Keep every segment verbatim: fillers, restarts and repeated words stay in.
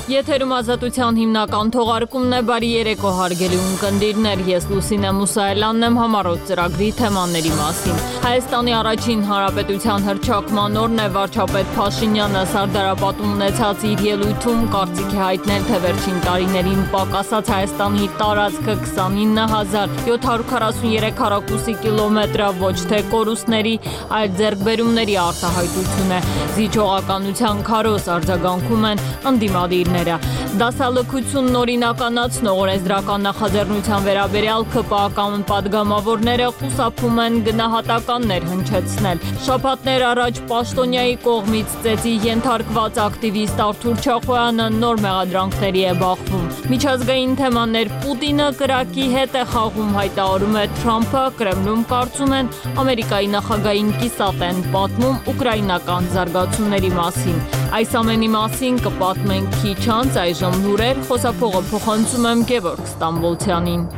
Եթերում ազատության հիմնական թողարկումն է, բարի երեկո հարգելի ունկնդիրներ, ես Լուսինե Մուսայելյանն եմ, համառոտ ծրագրի թեմաների մասին։ Հայաստանի առաջին հանրապետության հռչակման օրն է, վարչապետ Փաշինյանը Սարդարապատում ունեցած իր ելույթում կարծիք է հայտնել, թե վերջին տարիներին պակասած Հայաստանի տարածքը քսանինը հազար յոթ հարյուր քառասուներեք քառակուսի կիլոմետր ոչ թե կորուստների, այլ ձեռքբերումների արտահայտություն է։ Զիջողականության քարոզ արձագանքում են ընդդիմադիրները։ Դասալքությունն օրինականացնող օրենսդրական նախաձեռնության վերաբերյալ ՔՊԱ-կան պատգամավորները խուսափում են գնահատականներ հնչեցնել։ Շաբաթներ առաջ Պաշտոնյայի կողմից ծեծի ենթարկված ակտիվիստ Արթուր Չախոյանը նոր մեղադրանքների է բախվում։ Միջազգային թեմաներ Պուտինը կրակի հետ է խաղում, հայտարարում է Թրամփը, Կրեմլում կարծում են Ամերիկայի նախագահին կիսատ են պատմում ուկրաինական զարգացումների մասին։ Այս ամենի մասին կպատմենք քիչ անց, այժմ լուրեր, խոսափողը փոխանցում եմ Գևորգ Ստամբոլցյանին։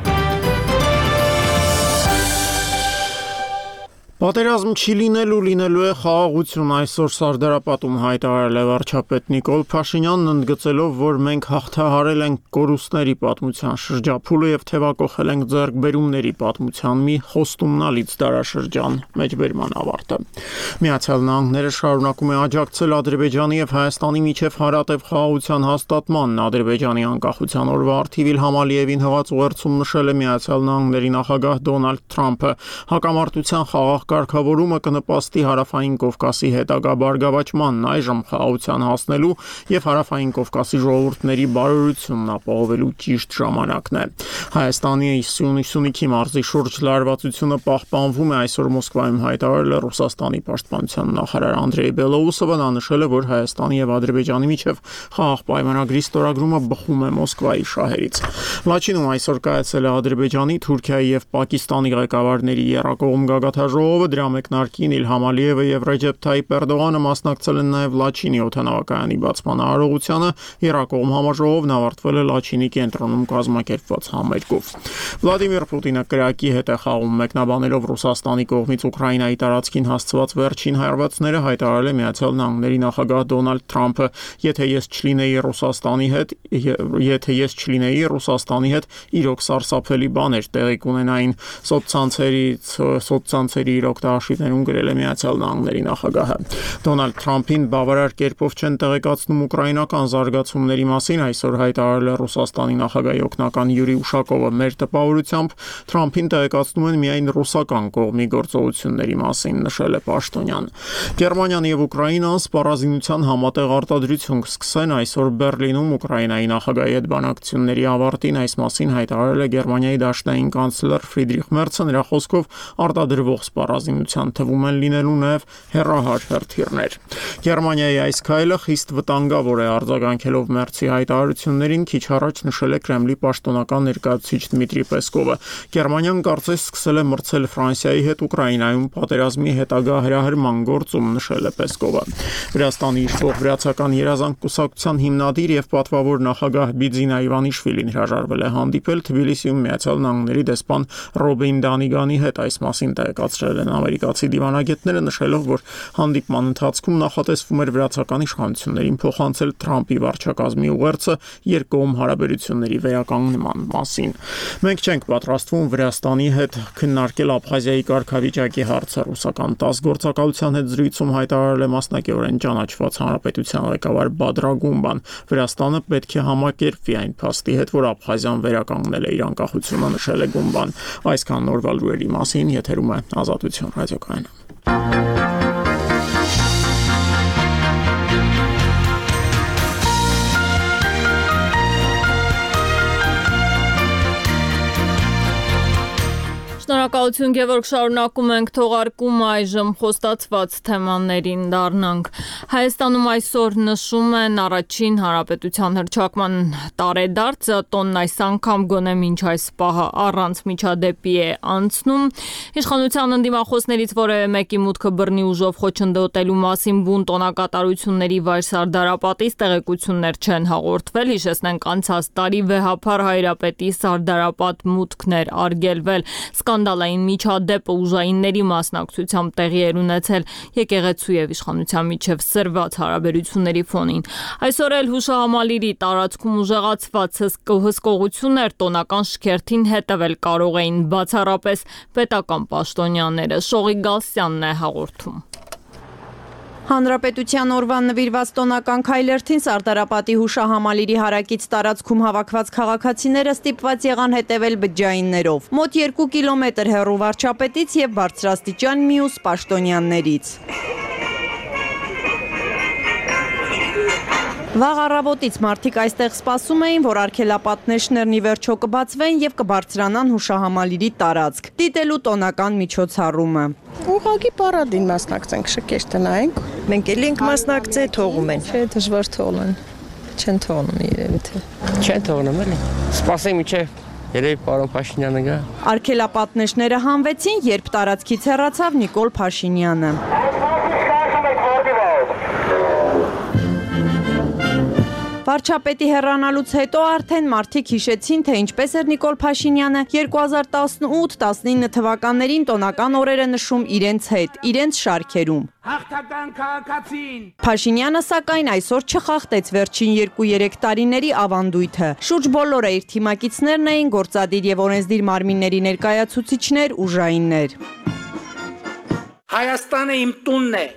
Պատերազմ չի լինելու, լինելու է խաղաղություն, այսօր Սարդարապատում հայտարարել է վարչապետ Նիկոլ Փաշինյանն, ընդգծելով, որ մենք հաղթահարել ենք կորուստների պատմության շրջափուլը եւ թեվակոխել ենք ձեռքբերումների պատմության մի խոստումնալից դարաշրջան։ Մեջբերման ավարտը։ Միացյալ Նահանգները շարունակում է աջակցել Ադրբեջանի եւ Հայաստանի միջև հարատև խաղաղության հաստատմանն։ Ադրբեջանի անկախության օրվա առթիվ Իլհամ Ալիևին հղած ուղերձում նշել է Միացյալ Նահանգների նախագահ Դոնալդ Թրամփը, հակամարտության խաղաղ կարգավորումը կնպաստի Հարավային Կովկասի հետագա բարգավաճմանն, այժմ խաղաղության հասնելու եւ Հարավային Կովկասի ժողովուրդների բարօրությունն ապահովելու ճիշտ ժամանակն է։ Հայաստանի Սյունիքի մարզի շուրջ լարվածությունը պահպանվում է, այսօր Մոսկվայում հայտարարել է Ռուսաստանի պաշտպանության նախարար Անդրեյ Բելոուսովը, նա նշել է, որ Հայաստանի եւ Ադրբեջանի միջև խաղաղ պայմանագրի ստորագրումը բխում է Մոսկվայի շահերից։ Լաչինում այսօր կայացել է Ադրբեջանի, Թուրքիայի եւ Պակիստանի ղեկավարների եռակողմ գագաթաժողովը, դրա մեկնարկին Իլհամ Ալիևը եւ Ռեջեփ Թայիփ Էրդողանը մասնակցել են նաեւ Լաչինի օդանավակայանի բացման արարողությանը։ Եռակողմ համաժողովն ավարտվել է Լաչինի կենտրոնում կազմակերպված համերգով։ Վլադիմիր Պուտինը կրակի հետ է խաղում, մեկնաբանելով Ռուսաստանի կողմից Ուկրաինայի տարածքին հասցված վերջին հարվածները, հայտարարել է Միացյալ Նահանգների նախագահ Դոնալդ Թրամփը, եթե ես չլինեի Ռուսաստանի հետ, եթե ես չլինեի Ռուսաստանի հետ, իրոք սարսափելի բաներ տեղի կունենային։ Սոցցանցերից սոցցանցերի իր օգտահաշիվներում գրել է Միացյալ Նահանգների նախագահը։ Դոնալդ Թրամփին բավարար կերպով չեն տեղեկացնում ուկրաինական զարգացումների մասին, այսօր հայտարարել է Ռուսաստանի նախագահի օգնական Յուրի Ուշակովը։ Մեր տպավորությամբ Թրամփին տեղեկացնում են միայն ռուսական կողմի գործողությունների մասին, նշել է պաշտոնյան։ Գերմանիան եւ Ուկրաինան սպառազինության համատեղ արտադրություն կսկսեն այսօր Բերլինում Ուկրաինայի նախագահի հետ բանակցությունների ավարտին, այս մասին հայտարարել է Գերմանիայի դաշնային կանցլեր Ֆրիդրիխ Մերցը, նրա խոսքով արտադրվող սպառազինության թվում են լինելու նաև հեռահար հրթիռներ։ Գերմանիայի այս քայլը խիստ վտանգավոր է, արձագանքելով Մերցի հայտարարություններին, քիչ առաջ նշել է Կրեմլի պաշտոնական ներկայացուցիչ Դմիտրի Պեսկովը։ Գերմանիան կարծես սկսել է մրցել Ֆրանսիայի հետ Ուկրաինայում պատերազմի հետագա հրահրման գործում, նշել է Պեսկովը։ Վրաստանի իշխող վրացական երազանք կուսակցության հիմնադիր եւ պատվավոր նախագահ Բիձինա Իվանիշվիլին հրաժարվել է հանդիպել Թբիլիսիում Միացյալ Նահանգների դեսպան Ռոբին Դանիգանի հետ, այս մասին տեղեկացրել են ամերիկացի դիվանագետները, նշելով, որ հանդիպման ընթացքում նախատեսվում էր վրացական իշխանություններին փոխանցել Թրամփի վարչակազմի ուղերձը երկկողմ հարաբերությունների վերականգնման մասին։ Մենք չենք պատրաստվում Վրաստանի հետ քննարկել Աբխազիայի կարգավիճակի հարցը, ռուսական տաս գործակալության հետ զրույցում հայտարարել է մասնակիորեն ճանաչված հանրապետության ղեկավար Բադրա Գումբան։ Վրաստանը պետք է համակերպվի այն փաստի հետ, որ Աբխազիան վերականգնել է իր անկախությունը, նշել է Գումբան։ Այսքան նորվա լուրերի մասին, եթերում է Ազատություն ռադիոկայանը։ Շնորհակալություն Գևորգ, շարունակում ենք թողարկումը, այժմ խոստացված թեմաներին դառնանք։ Հայաստանում այսօր նշում են առաջին հանրապետության հռչակման տարեդարձը, տոնն այս անգամ գոնե մինչ այս պահը առանց միջադեպի է անցնում։ Իշխանության ընդդիմախոսներից որևէ մեկի մուտքը բռնի ուժով խոչընդոտելու մասին բուն տոնակատարությունների վայր Սարդարապատից տեղեկություններ չեն հաղորդվել, հիշեցնենք անցած տարի վեհափառ Հայրապետի Սարդարապատ մուտքն էր արգելվել։ հսկայթալային միջադեպը ուժայինների մասնակցությամբ տեղի էր ունեցել եկեղեցու եւ իշխանության միջև սրված հարաբերությունների ֆոնին։ Այսօր էլ հուշահամալիրի տարածքում ուժեղացված հսկողություններ տոնական շքերթին հետևել կարող էին բացառապես պետական պաշտոնյաները։ Շողի Գալստյանն է հաղորդում։ Հանրապետության օրվան նվիրված տոնական քայլերթին Սարդարապատի հուշահամալիրի հարակից տարածքում հավաքված քաղաքացիները ստիպված եղան հետևել բջջայիններով։ Մոտ երկու կիլոմետր հեռու վարչապետից եւ բարձրաստիճան մյուս պաշտոնյաններից։ Վաղ առավոտից մարդիկ այստեղ սպասում էին, որ արգելապատնեշներն ի վերջո կբացվեն եւ կբարձրանան հուշահամալիրի տարածք, դիտելու տոնական միջոցառումը։ Ուղղակի պարադին մասնակցենք, շքերթը նայենք։ Մենք էլ ենք մասնակցել, թողում են։ Չէ, դժվար թողնեն։ Չեն թողնում երևի թե։ Չեն թողնում էլի։ Սպասենք մինչև երևի պարոն Փաշինյանը գա։ Արգելապատնեշները հանվեցին, երբ տարածքից հեռացավ Նիկոլ Փաշինյանը։ Վարչապետի հեռանալուց հետո արդեն մարդիկ հիշեցին, թե ինչպես էր Նիկոլ Փաշինյանը երկու հազար տասնութ տասնինը թվականներին տոնական օրերը նշում իրենց հետ, իրենց շարքերում։ Հաղթական քաղաքացին։ Փաշինյանը սակայն այսօր չխախտեց վերջին երկու-երեք տարիների ավանդույթը։ Շուրջ բոլորը իր թիմակիցներն էին, գործադիր եւ օրենսդիր մարմինների ներկայացուցիչներ, ուժայիններ։ Հայաստանը իմ տունն է,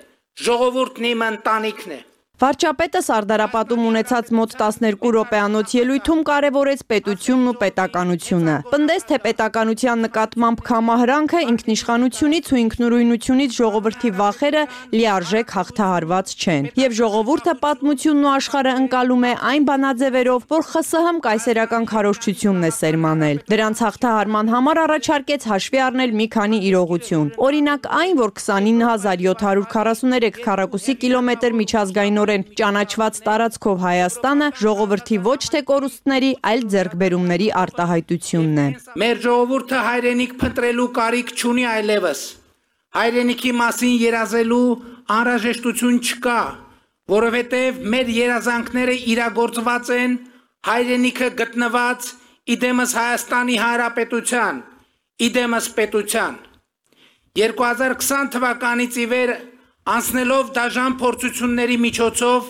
ժողովուրդն իմ ընտանիքն է։ Վարչապետը Սարդարապատում ունեցած մոտ տասներկու րոպեանոց ելույթում կարևորեց պետությունն ու պետականությունը։ Պնդեց, թե պետականության նկատմամբ կամահրանքը ինքնիշխանությունից ու ինքնուրույնությունից ժողովրդի վախերը լիարժեք հաղթահարված չեն։ Եվ ժողովուրդը պատմությունն ու աշխարհը ընկալում է այն բանաձևերով, որ ԽՍՀՄ կայսերական քարոզչությունն է սերմանել։ Դրանց հաղթահարման համար առաջարկեց հաշվի առնել մի քանի իրողություն։ Օրինակ այն, որ քսանինը հազար յոթ հարյուր քառասուներեք քառակուսի կիլոմետր միջազգային ճանաչված տարածքով Հայաստանը ժողովրդի ոչ թե կորուստների, այլ ձեռքբերումների արտահայտությունն է։ Մեր ժողովուրդը հայրենիք փնտրելու կարիք չունի այլևս։ Հայրենիքի մասին երազելու անհրաժեշտություն չկա, որովհետև մեր երազանքները իրագործված են, հայրենիքը գտնված իդեմս Հայաստանի Հանրապետության, իդեմս պետության։ երկու հազար քսան թվականից ի վեր անցնելով դաժան փորձությունների միջոցով,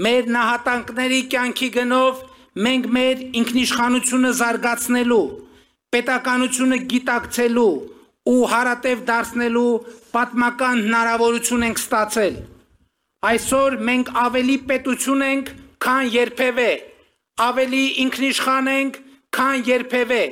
մեր նահատակների կյանքի գնով մենք մեր ինքնիշխանությունը զարգացնելու, պետականությունը գիտակցելու ու հարատև դարձնելու պատմական հնարավորություն ենք ստացել։ Այսօր մենք ավելի պետություն ենք, քան երբևէ, ավելի ինքնիշխան ենք, քան երբևէ,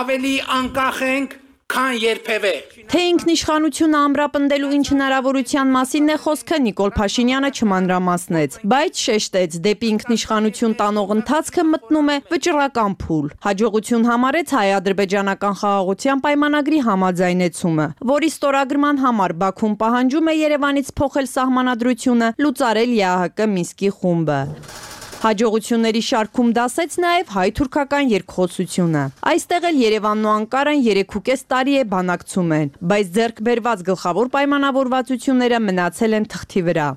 ավելի անկախ ենք, քան երբևէ։ Թե ինքնիշխանությունը ամրապնդելու ինչ հնարավորության մասին է խոսքը Նիկոլ Փաշինյանը չմանրամասնեց, բայց շեշտեց, դեպի ինքնիշխանություն տանող ընթացքը մտնում է վճռական փուլ։ Հաջողություն համարեց հայ-ադրբեջանական խաղաղության պայմանագրի համաձայնեցումը, որի ստորագրման համար Բաքուն պահանջում է Երևանից փոխել սահմանադրությունը, լուծարել ԵԱՀԿ Մինսկի խումբը։ Հաջողությունների շարքում դասեց նաև հայ-թուրքական երկխոսությունը։ Այստեղ էլ Երևանն ու Անկարան երեքուկես տարի է բանակցում են, բայց ձեռք բերված գլխավոր պայմանավորվածությունները մնացել են թղթի վրա։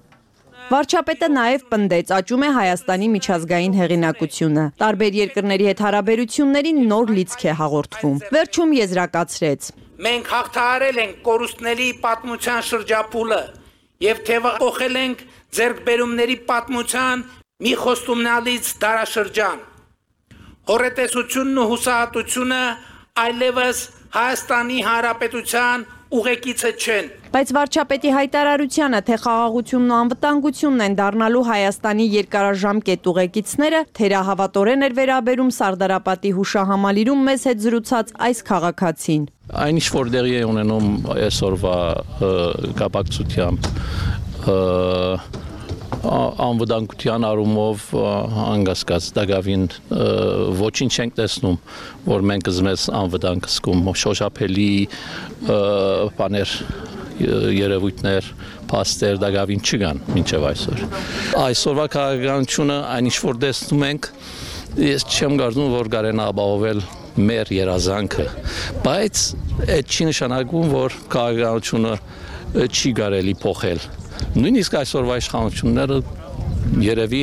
Վարչապետը նաև պնդեց, աճում է Հայաստանի միջազգային հեղինակությունը։ Տարբեր երկրների հետ հարաբերություններին նոր լիցք է հաղորդվում։ Վերջում եզրակացրեց. Մենք հաղթահարել ենք կորուստների պատմության շրջափուլը եւ թեւակոխել ենք ձեռքբերումների պատմության մի խոստումնալից դարաշրջան։ Հորետեսությունն ու հուսահատությունը այլևս Հայաստանի Հանրապետության ուղեկիցը չեն։ Բայց վարչապետի հայտարարությանը, թե խաղաղությունն ու անվտանգությունն են դառնալու Հայաստանի երկարաժամկետ ուղեկիցները, թերահավատորեն էր վերաբերում Սարդարապատի հուշահամալիրում մեզ հետ զրուցած այս քաղաքացին։ Այն ինչ որ դեղի է ունենում այսօրվա կապակցությամբ անվտանգության առումով անկասկած դակավին ոչինչ չենք տեսնում, որ մենք մեզ անվտանգ զգում, շոշափելի բաներ երևույթներ, փաստեր դակավին չկան մինչև այսօր։ Այսօրվա քաղաքականությունը այն ինչ որ տեսնում ենք, ես չեմ կարծում, որ կարենա ապահովել մեր երազանքը, բայց այդ չի նշանակում, որ քաղաքականությունը չի կարելի փոխել։ Նույնիսկ այսօրվա իշխանությունները երևի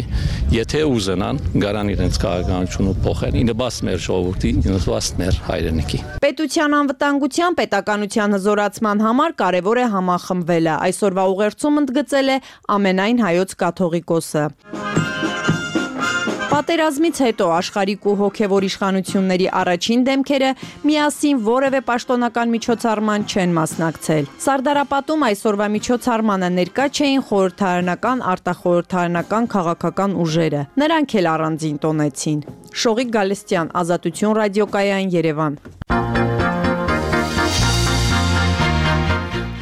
եթե ուզենան գարան իրենց քաղաքականությունը փոխեն, ինը բաց մեր ժողովրդի, ինը բաց մեր հայրենիքի։ Պետության անվտանգության պետականության հզորացման համար կարևոր է համախմբվելը։ Այսօրվա ուղերձում ընդգծել է ամենայն հայոց կաթողիկոսը։ Պատերազմից հետո աշխարհիկ ու հոգևոր իշխանությունների առաջին դեմքերը միասին որևէ պաշտոնական միջոցառման չեն մասնակցել։ Սարդարապատում այսօրվա միջոցառմանը ներկա չէին խորհրդարանական, արտախորհրդարանական քաղաքական ուժերը։ Նրանք էլ առանձին տոնեցին։ Շողիկ Գալստյան, Ազատություն ռադիոկայան, Երևան։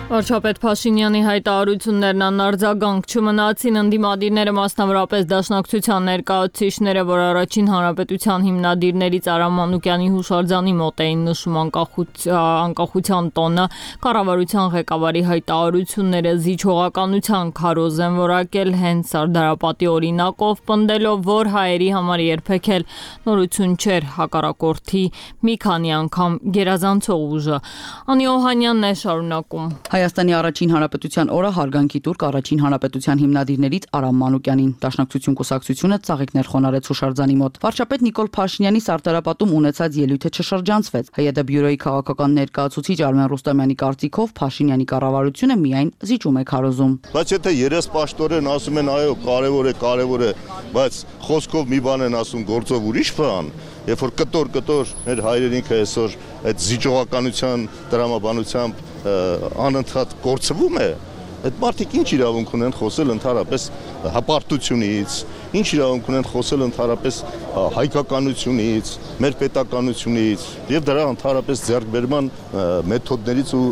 Վարչապետ Փաշինյանի հայտարարություններն անարձագանք չմնացին, ընդդիմադիրները մասնավորապես Դաշնակցության ներկայացուցիչները, որ առաջին հանրապետության հիմնադիրներից Արամ Մանուկյանի հուշարձանի մոտ էին նշում անկախության տոնը, կառավարության ղեկավարի հայտարարությունները զիջողականության քարոզ են որակել, հենց Սարդարապատի օրինակով պնդելով, որ հայերի համար երբեք էլ նորություն չէր հակառակորդի մի քանի անգամ գերազանցող ուժը։ Անի Օհանյանն է շարունակում։ Հայաստանի առաջին հանրապետության օրը հարգանքի տուրք առաջին հանրապետության հիմնադիրներից Արամ Մանուկյանին։ Դաշնակցություն կուսակցությունը ծաղիկներ խոնարհեց հուշարձանի մոտ։ Վարչապետ Նիկոլ Փաշինյանի Սարդարապատում ունեցած ելույթը չշրջանցվեց։ ՀՅԴ բյուրոյի քաղաքական ներկայացուցիչ Արմեն Ռուստամյանի կարծիքով Փաշինյանի կառավարությունը միայն զիջում է քարոզում։ Բայց եթե երեսպաշտորեն ասում են այո, կարևոր է, կարևոր է, բայց խոսքով մի բան են ասում, գործով ուրիշ բան, երբ որ կտոր-կտոր մեր հայրենիքը այսօր այդ զիջողականության տրամաբանությամբ անընդհատ կորցվում է, այդ մարդիկ ինչ իրավունք ունեն խոսել ընդհանրապես հպարտությունից, ինչ իրավունք ունեն խոսել ընդհանրապես հայկականությունից, մեր պետականությունից եւ դրա ընդհանրապես ձեռքբերման մեթոդներից ու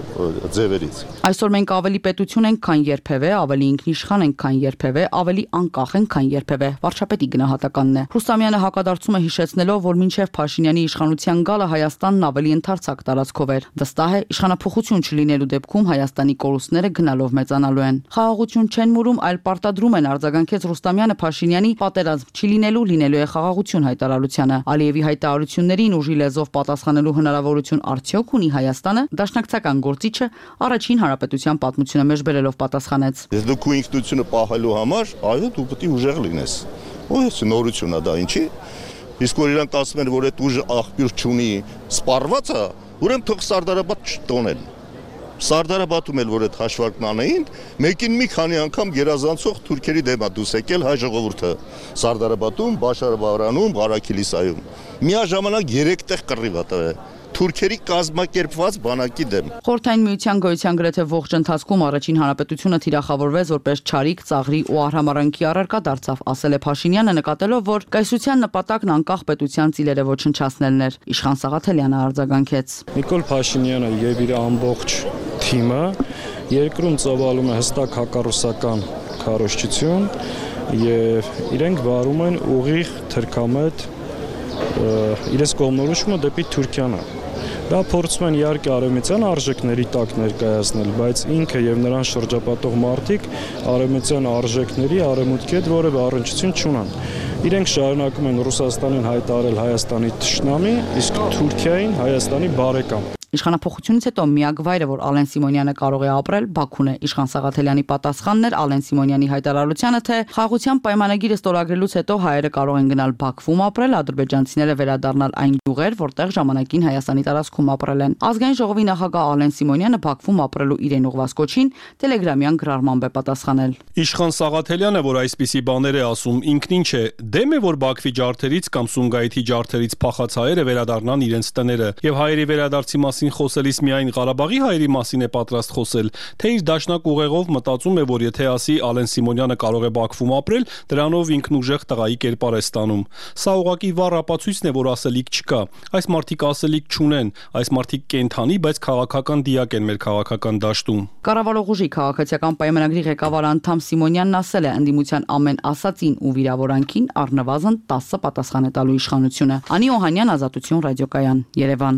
ձևերից։ Այսօր մենք ավելի պետություն ենք, քան երբևէ, ավելի ինքնիշխան ենք, քան երբևէ, ավելի անկախ ենք, քան երբևէ, վարչապետի գնահատականն է։ Ռուստամյանը հակադարձում է հիշեցնելով, որ մինչև Փաշինյանի իշխանության գալը Հայաստանն ավելի ընդարձակ տարածքով էր։ Վստահ է, իշխանափոխություն չլինելու դեպքում Հայաստանի կորուստները գնալով մեծանալու են։ Խաղաղություն չեն մուրում, այլ պարտադրում են, արձագանքեց Ռուստամյանը Փաշինյանի պատերազմ չլինելու, լինելու է խաղաղություն հայտարարությանը։ Ալիևի հայտարարություններին ուժի լեզվով պատասխանելու հնարավորություն արդյոք ունի Հայաստանը։ Դաշնակցական գործիչը առաջին հանրապետության պատմությունը մեջբերելով պատասխանեց. Ես դու քո ինքնությունը պահելու համար, այո, դու պետք է ուժեղ լինես։ Ո՞ս նորությունն է դա, ինչի՞։ Իսկ որ իրանք ասում են, որ այդ ուժը աղբյուր չունի, սպառված է, ուրեմն թող Սարդարապատ չտոնեն։ Սարդարապատում էլ որ այդ հաշվարկն անեին, մեկին մի քանի անգամ գերազանցող թուրքերի դեմ է դուս եկել հայ ժողովուրդը։ Սարդարապատում, Բաշարաբարանում, Ղարաքիլիսայում։ Միաժամանակ երեք տեղ կռիվ է տվել։ Թուրքերի կազմակերպված բանակի դեմ։ Խորհրդային միության գոյության գրեթե ողջ ընթացքում առաջին հանրապետությունը թիրախավորվեց որպես չարիք, ծաղրի ու արհամարանքի առարկա դարձավ, ասել է Փաշինյանը, նկատելով, որ կայսրության նպատակն անկախ պետության ծիլերը ոչնչացնելն էր։ Իշխան Սաղաթելյանը արձագանքեց. Նիկոլ Փաշինյանը եւ իր ամբողջ թիմը երկրում ծավալում է հստակ հակառուսական քարոզչություն եւ իրենք վարում են ուղիղ թրքամետ իրենց կողմնորոշումը դեպի Թուրքիան։ Դա փորձում են իհարկե արևմտյան արժեքների տակ ներկայացնել, բայց ինքը եւ նրան շրջապատող մարդիկ արևմտյան արժեքների արևմուտքի հետ որևէ առնչություն չունեն։ Իրենք շարունակում են Ռուսաստանին հայտարարել Հայաստանի թշնամի, իսկ Թուրքիային Հայաստանի բարեկամ։ Իշխանափոխությունից հետո միակ վայրը, որ Ալեն Սիմոնյանը կարող է ապրել, Բաքուն է։ Իշխան Սաղաթելյանի պատասխանն էր Ալեն Սիմոնյանի հայտարարությանը, թե խաղաղության պայմանագիրը ստորագրելուց հետո հայերը կարող են գնալ Բաքվում ապրել, ադրբեջանցիները վերադառնալ այն գյուղեր, որտեղ ժամանակին Հայաստանի տարածքում ապրել են։ Ազգային ժողովի նախագահ Ալեն Սիմոնյանը Բաքվում ապրելու իրեն ուղղված կոչին տելեգրամյան գրառմամբ է պատասխանել։ Իշխան Սաղաթելյանը, որ այսպիսի բաներ է ասում, ինքն ինչ է, դեմ է, որ Բաքվի ջարդերից կամ Սումգայիթի ջարդերից փախած հայերը վերադառնան իրենց տները, եւ հայերի վերադարձի մասին խոսելիս միայն Ղարաբաղի հայերի մասին է պատրաստ խոսել, թե իր դաշնակ ուղեղով մտածում է, որ եթե ասի Ալեն Սիմոնյանը կարող է Բաքվում ապրել, դրանով ինքն ուժեղ տղայի կերպար է ստանում։ Սա ուղղակի վառ ապացույցն է, որ ասելիք չկա։ Այս մարդիկ ասելիք չունեն, այս մարդիկ կենթանի, բայց քաղաքական դիակ են մեր քաղաքական դաշտում։ Կառավարող ուժի քաղաքացիական պայմանագրի ղեկավար անդամ Սիմոնյանն ասել է, ընդդիմության ամեն ասածին ու վիրավորանքին առնվազն տասը պատասխան է տալու իշխանությունը։ Անի Օհանյան, Ազատություն ռադիոկայան, Երևան։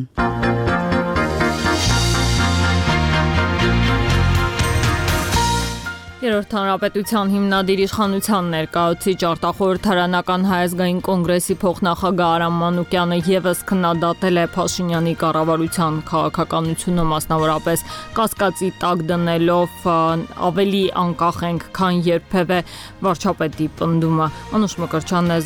Երրորդ հանրապետության հիմնադիր իշխանության ներկայացուցիչ արտախորհրդարանական Հայ ազգային կոնգրեսի փոխնախագահ Արամ Մանուկյանը եւս քննադատել է Փաշինյանի կառավարության քաղաքականությունը, մասնավորապես կասկածի տակ դնելով ավելի անկախ ենք, քան երբևէ վարչապետի պնդումը։ Անուշ Մկրտչյանն է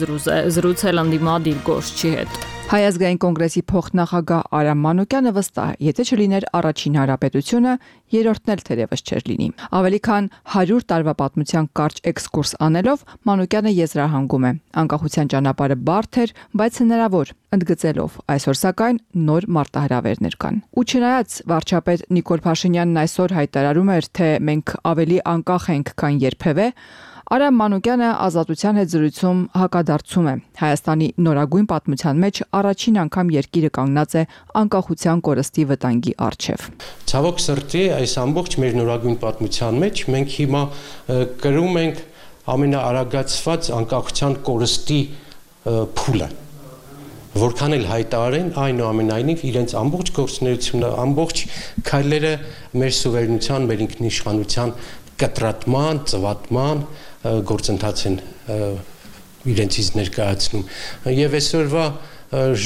զրուցել ընդդիմադիր գործչի հետ։ Հայ ազգային կոնգրեսի փոխնախագահ Արամ Մանուկյանը վստահ է, եթե չլիներ առաջին հանրապետությունը, երրորդն էլ թերևս չէր լինի։ Ավելի քան հարյուր տարվա պատմության կարճ էքսկուրս անելով Մանուկյանը եզրահանգում է. անկախության ճանապարհը բարդ էր, բայց հնարավոր, ընդգծելով այսօր սակայն նոր մարտահրավերներ կան։ Ու չնայած վարչապետ Նիկոլ Փաշինյանն այսօր հայտարարում էր, թե մենք ավելի անկախ ենք, քան երբևէ, Արամ Մանուկյանը Ազատության հետ զրույցում հակադարձում է. Հայաստանի նորագույն պատմության մեջ առաջին անգամ երկիրը կանգնած է անկախության կորստի վտանգի առջև։ Ցավոք սրտի, այս ամբողջ մեր նորագույն պատմության մեջ մենք հիմա կրում ենք ամենաարագացված անկախության կորստի փուլը։ Որքան էլ հայտարարեն, այնուամենայնիվ իրենց ամբողջ գործունեությունը, ամբողջ քայլերը մեր սուվերենության, մեր ինքնիշխանության կտրատման, ծվատման գործընթաց են իրենցից ներկայացնում։ Եվ այսօրվա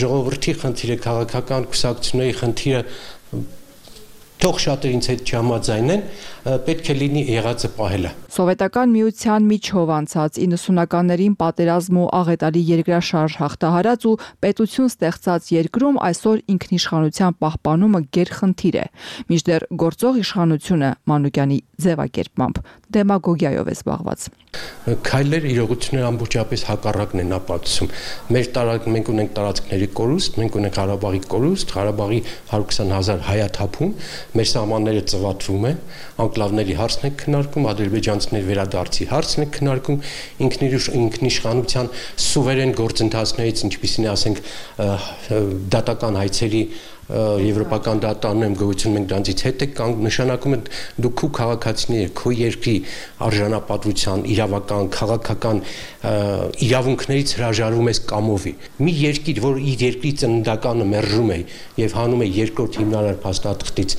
ժողովրդի խնդիրը, քաղաքական կուսակցությունների խնդիրը թող շատեր ինձ հետ չհամաձայնեն, պետք է լինի եղածը պահելը։ Սովետական միության միջով անցած իննսունականներին պատերազմ ու աղետալի երկրաշարժ հաղթահարած ու պետություն ստեղծած երկրում այսօր ինքնիշխանության պահպանումը գերխնդիր է։ Մինչդեռ գործող իշխանությունը Մանուկյանի ձևակերպմամբ դեմագոգիայով է զբաղված։ Քայլեր իրողությունները ամբողջապես հակառակն են ապացուցում։ Մեր տարածք մենք ունենք տարածքների կորուստ, մենք ունենք Ղարաբաղի կորուստ, Ղարաբաղի հարյուր քսան հազար հայաթափում, մեր սահմանները ծվատվում են, անկլավների հարցն է քննարկում, ադրբեջանցիների վերադարձի հարցն է քննարկում, ինքնիշխանության սուվերեն գործընթացներից, ինչպիսին է, ասենք, դատական հայցերի եվրոպական դատարանում գոյություն մենք դրանից հետ եք կանգ նշանակում է դու քու քաղաքացիները քո երկրի արժանապատվության իրավական քաղաքական իրավունքներից հրաժարվում ես կամովի մի երկիր որ իր երկրի ծննդականը մերժում է եւ հանում է երկրորդ հիմնարար փաստաթղթից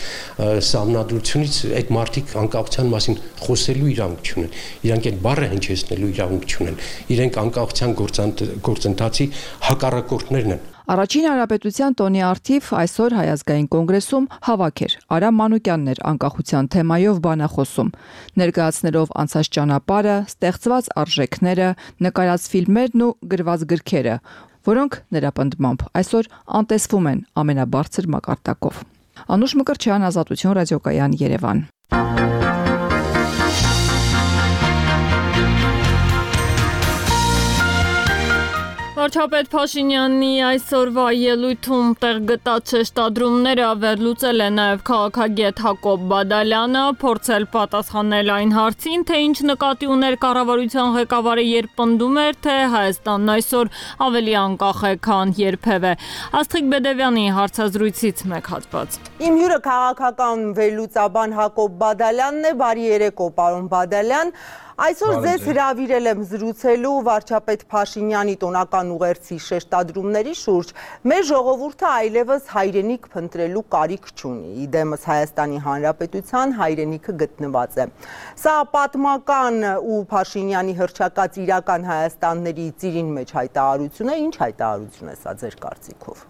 սահմանադրությունից այդ մարդիկ անկախության մասին խոսելու իրավունք չունեն իրանք այդ բառը հնչեցնելու իրավունք չունեն իրենք անկախության գործընթացի հակառակորդներն են Առաջին հանրապետության տոնի արդիվ այսօր Հայ ազգային կոնգրեսում հավաք էր Արամ Մանուկյանն էր անկախության թեմայով բանախոսում ներկայացնելով անցած ճանապարհը, ստեղծված արժեքները, նկարած ֆիլմերն ու գրված գրքերը, որոնք նրա պնդմամբ այսօր անտեսվում են ամենաբարձր մակարդակով։ Անուշ Մկրտչյան, Ազատություն ռադիոկայան, Երևան։ Վարչապետ Փաշինյանի այսօրվա ելույթում տեղ գտած շեշտադրումները վերլուծել է նաև քաղաքագետ Հակոբ Բադալյանը, փորձել պատասխանել այն հարցին, թե ինչ նկատի ուներ կառավարության ղեկավարը, երբ պնդում էր, թե Հայաստանն այսօր ավելի անկախ է, քան երբևէ։ Աստղիկ Բեդևյանի հարցազրույցից մեկ հատված։ Իմ հյուրը քաղաքական վերլուծաբան Հակոբ Բադալյանն է, բարի երեկո, պարոն Բադալյան։ Այսօր ձեզ հրավիրել եմ զրուցելու վարչապետ Փաշինյանի տոնական ուղերձի շեշտադրումների շուրջ։ Մեր ժողովուրդը այլևս հայրենիք փնտրելու կարիք չունի։ Իդեմս Հայաստանի Հանրապետության հայրենիքը գտնված է։ Սա պատմական ու Փաշինյանի հռչակած իրական Հայաստանների ծիրին մեջ հայտարարություն է, ինչ հայտարարություն է սա ձեր կարծիքով։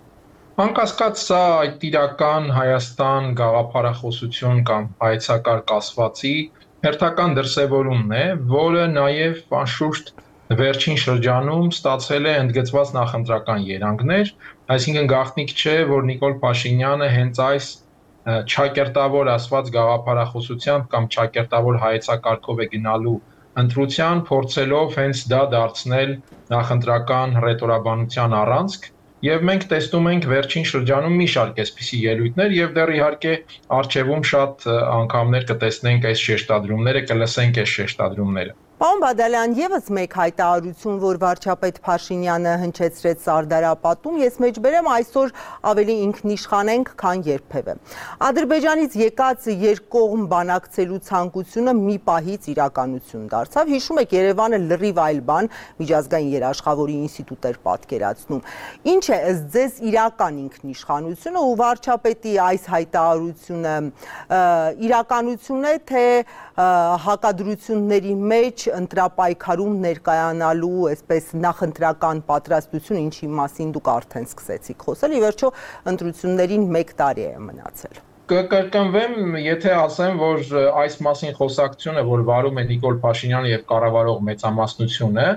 Անկասկած սա այդ իրական Հայաստան գաղափարախոսություն կամ հայեցակարգ ասվածի հերթական դրսևորումն է, որը նաև անշուշտ վերջին շրջանում ստացել է ընդգծված նախընտրական երանգներ, այսինքն գաղտնիք չէ, որ Նիկոլ Փաշինյանը հենց այս չակերտավոր ասված գաղափարախոսությամբ կամ չակերտավոր հայեցակարգով է գնալու ընտրության, փորձելով հենց դա դարձնել նախընտրական ռետորաբանության առանցք Եվ մենք տեսնում ենք վերջին շրջանում մի շարք այսպիսի ելույթներ եւ դեռ իհարկե արժևում շատ անգամներ կտեսնենք այս շեշտադրումները, կլսենք այս շեշտադրումները։ Պարոն Բադալյան, եւս մեկ հայտարարություն, որ վարչապետ Փաշինյանը հնչեցրեց Սարդարապատում, ես մեջբերեմ այսօր ավելի ինքնիշխան ենք, քան երբևէ։ Ադրբեջանից եկած երկկողմ բանակցելու ցանկությունը մի պահից իրականություն դարձավ։ Հիշում եք, Երևանը լրիվ այլ բան միջազգային երաշխավորի ինստիտուտ էր պատկերացնում։ Ինչ է ըստ ձեզ իրական ինքնիշխանությունը ու վարչապետի այս հայտարարությունը իրականություն է, թե հակադրությունների մեջ ընտրապայքարում ներկայանալու այսպես նախընտրական պատրաստություն, ինչի մասին դուք արդեն սկսեցիք խոսել, ի վերջո ընտրություններին մեկ տարի է մնացել։ Կկրկնվեմ, եթե ասեմ, որ այս մասին խոսակցությունը, որ վարում է Նիկոլ Փաշինյանը եւ կառավարող մեծամասնությունը,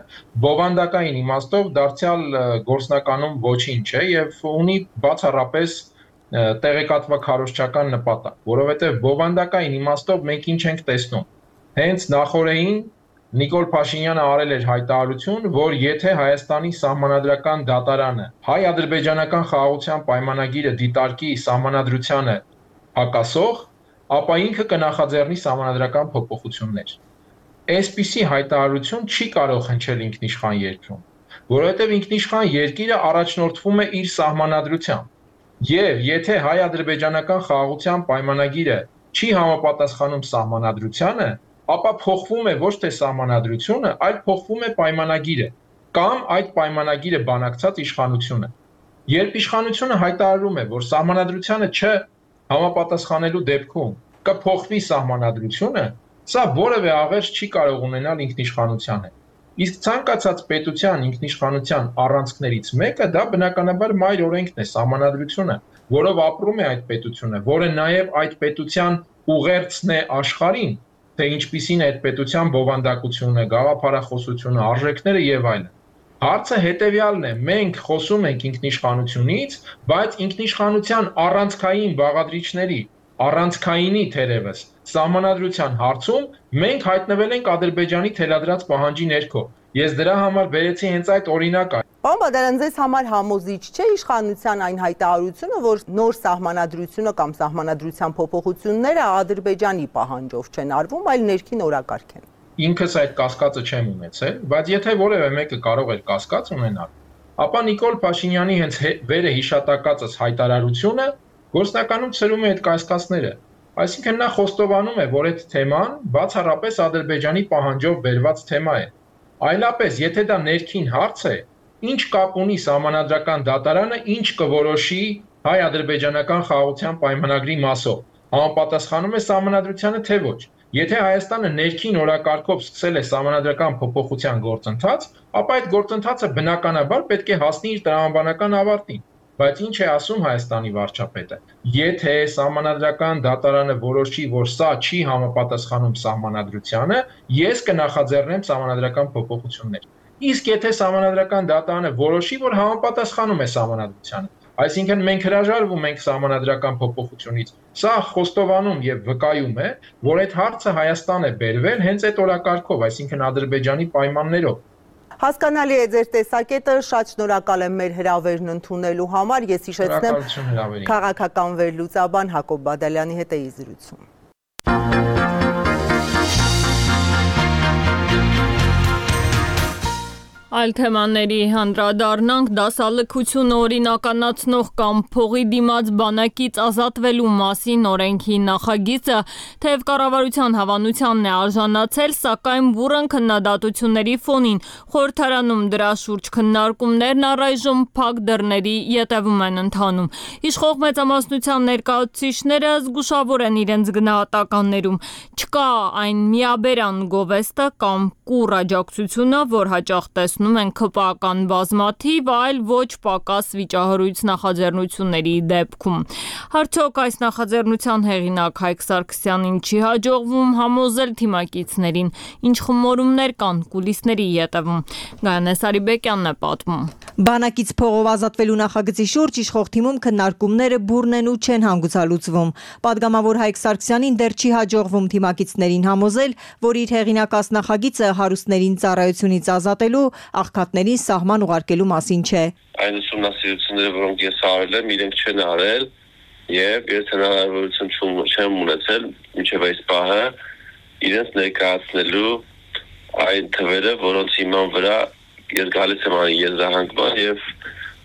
բովանդակային իմաստով դարձյալ գործնականում ոչինչ է եւ ունի բացառապես տեղեկատվակ քարոզչական նպատակ, որովհետեւ բովանդակային իմաստով մենք ինչ ենք տեսնում։ Հենց նախորդին Նիկոլ Փաշինյանը արել էր հայտարարություն, որ եթե Հայաստանի սահմանադրական դատարանը հայ-ադրբեջանական խաղաղության պայմանագիրը դիտարկի սահմանադրությանը հակասող, ապա ինքը կնախաձեռնի սահմանադրական փոփոխություններ։ Այսպիսի հայտարարություն չի կարող հնչել ինքնիշխան երկրում, որովհետև ինքնիշխան երկիրը առաջնորդվում է իր սահմանադրությամբ։ Եվ եթե հայ-ադրբեջանական խաղաղության պայմանագիրը չի համապատասխանում սահմանադրությանը, ապա փոխվում է ոչ թե սահմանադրությունը, այլ փոխվում է պայմանագիրը կամ այդ պայմանագիրը բանակցած իշխանությունը։ Երբ իշխանությունը հայտարարում է, որ սահմանադրությանը չհամապատասխանելու դեպքում կփոխվի սահմանադրությունը, սա որևէ աղերս չի կարող ունենալ ինքնիշխանության հետ։ Իսկ ցանկացած պետության ինքնիշխանության առանցքներից մեկը դա բնականաբար մայր օրենքն է, սահմանադրությունը, որով ապրում է այդ պետությունը, որը նաև այդ պետության ուղերձն է աշխարհին, թե ինչպիսին է այդ պետության բովանդակությունը, գաղափարախոսությունը, արժեքները եւ այլն։ Հարցը հետեւյալն է. մենք խոսում ենք ինքնիշխանությունից, բայց ինքնիշխանության առանցքային բաղադրիչների, առանցքայինի թերևս սահմանադրության հարցում մենք հայտնվել ենք Ադրբեջանի թելադրած պահանջի ներքո։ Ես դրա համար բերեցի հենց այդ օրինակը։ Պարոն Բադալյան, ձեզ համար համոզիչ չէ իշխանության այն հայտարարությունը, որ նոր սահմանադրությունը կամ սահմանադրության փոփոխությունները Ադրբեջանի պահանջով չեն արվում, այլ ներքին օրակարգ են։ Ինքս այդ կասկածը չեմ ունեցել, բայց եթե որևէ մեկը կարող էր կասկած ունենալ, ապա Նիկոլ Փաշինյանի հենց վերը հիշատակածս հայտարարությունը գործնականում ցրում է այդ կասկածները։ Այսինքն նա խոստովանում է, որ այդ թեման բացառապես Ադրբեջանի պահանջով բերված թեմա է։ Այլապես, եթե դա ներքին հարց է, ինչ կապ ունի սահմանադրական դատարանը, ինչ կորոշի հայ-ադրբեջանական խաղաղության պայմանագրի մասով, համապատասխանում է սահմանադրությանը թե ոչ։ Եթե Հայաստանը ներքին օրակարգով սկսել է սահմանադրական փոփոխության գործընթաց, ապա այդ գործընթացը բնականաբար պետք է հասնի իր տրամաբանական ավարտին։ Բայց ինչ է ասում Հայաստանի վարչապետը։ Եթե սահմանադրական դատարանը որոշի, որ սա չի համապատասխանում սահմանադրությանը, ես կնախաձեռնեմ սահմանադրական փոփոխություններ։ Իսկ եթե սահմանադրական դատարանը որոշի, որ համապատասխանում է սահմանադրությանը, այսինքն մենք հրաժարվում ենք սահմանադրական փոփոխությունից, սա խոստովանում եւ վկայում է, որ այդ հարցը Հայաստան է բերվել հենց այդ օրակարգով, այսինքն Ադրբեջանի պայմաններով։ Հասկանալի է ձեր տեսակետը, շատ շնորհակալ եմ մեր հրավերն ընդունելու համար, ես հիշեցնեմ քաղաքական վերլուծաբան Հակոբ Բադալյանի հետ էի զրուցում։ Այլ թեմաների հանդրադառնանք, դասալքությունը օրինականացնող կամ փողի դիմաց բանակից ազատվելու մասին օրենքի նախագիծը թեև կառավարության հավանությանն է արժանացել, սակայն բուռն քննադատությունների ֆոնին խորհրդարանում դրա շուրջ քննարկումներն առայժմ փակ դռների ետևում են ընթանում։ Իշխող մեծամասնության ներկայացուցիչները զգուշավոր են իրենց գնահատականներում։ Չկա այն միաբերան գովեստը կամ կուռ աջակցությունը, որ հաճախ տեսնում են քպական բազմաթիվ, այլ ոչ պակաս վիճահարույց նախաձեռնությունների դեպքում։ Արդյոք այս նախաձեռնության հեղինակ Հայկ Սարգսյանին չի հաջողվում համոզել թիմակիցներին, ինչ խմորումներ կան կուլիսների ետևում։ Գայանե Սարիբեկյանն է պատմում։ Բանակից փողով ազատվելու նախագծի շուրջ իշխող թիմում քննարկումները բուռն են ու չեն հանգուցալուծվում։ Պատգամավոր Հայկ Սարգսյանին դեռ չի հաջողվում թիմակիցներին համոզել, որ իր հեղինակած նախագիծը հարուստներին ծառայությունից ազատելու, աղքատներին սահման ուղարկելու մասին չէ։ Այն ուսումնասիրությունները, որոնք ես արել եմ, իրենք չեն արել եւ ես հնարավորություն չեմ ունեցել մինչեւ այս պահը իրենց ներկայացնելու այն թվերը, որոնց հիման վրա ես գալիս եմ այն եզրահանգման եւ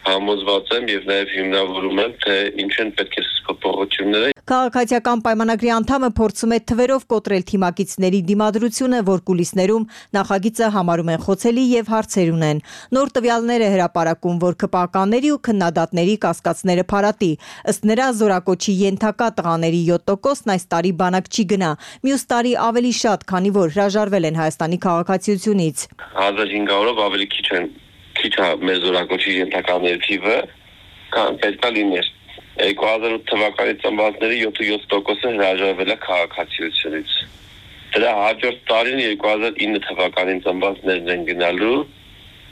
համոզված եմ եւ նաեւ հիմնավորում եմ, թե ինչ են պետք է փոփոխությունները։ Քաղաքացիական պայմանագրի անդամը փորձում է թվերով կոտրել թիմակիցների դիմադրությունը, որ կուլիսներում նախագիծը համարում են խոցելի եւ հարցեր ունեն։ Նոր տվյալներ է հրապարակում, որ ԿՊԱ-կանների ու քննադատների կասկածները փարատի։ Ըստ նրա զորակոչի ենթակա տղաների յոթ տոկոսն այս տարի բանակ չի գնա, մյուս տարի ավելի շատ, քանի որ հրաժարվել են Հայաստանի քաղաքացիությունից։ հազար հինգ հարյուրով ավելի քիչ են քիչ է մեր զորակոչի ենթականների թիվը, քան պետք է լիներ։ երկու հազար ութ թվականի ծնվածների յոթ տոկոսը հրաժարվել է քաղաքացիությունից։ Դրա հաջորդ տարին երկու հազար ինը թվականին ծնվածներն են գնալու,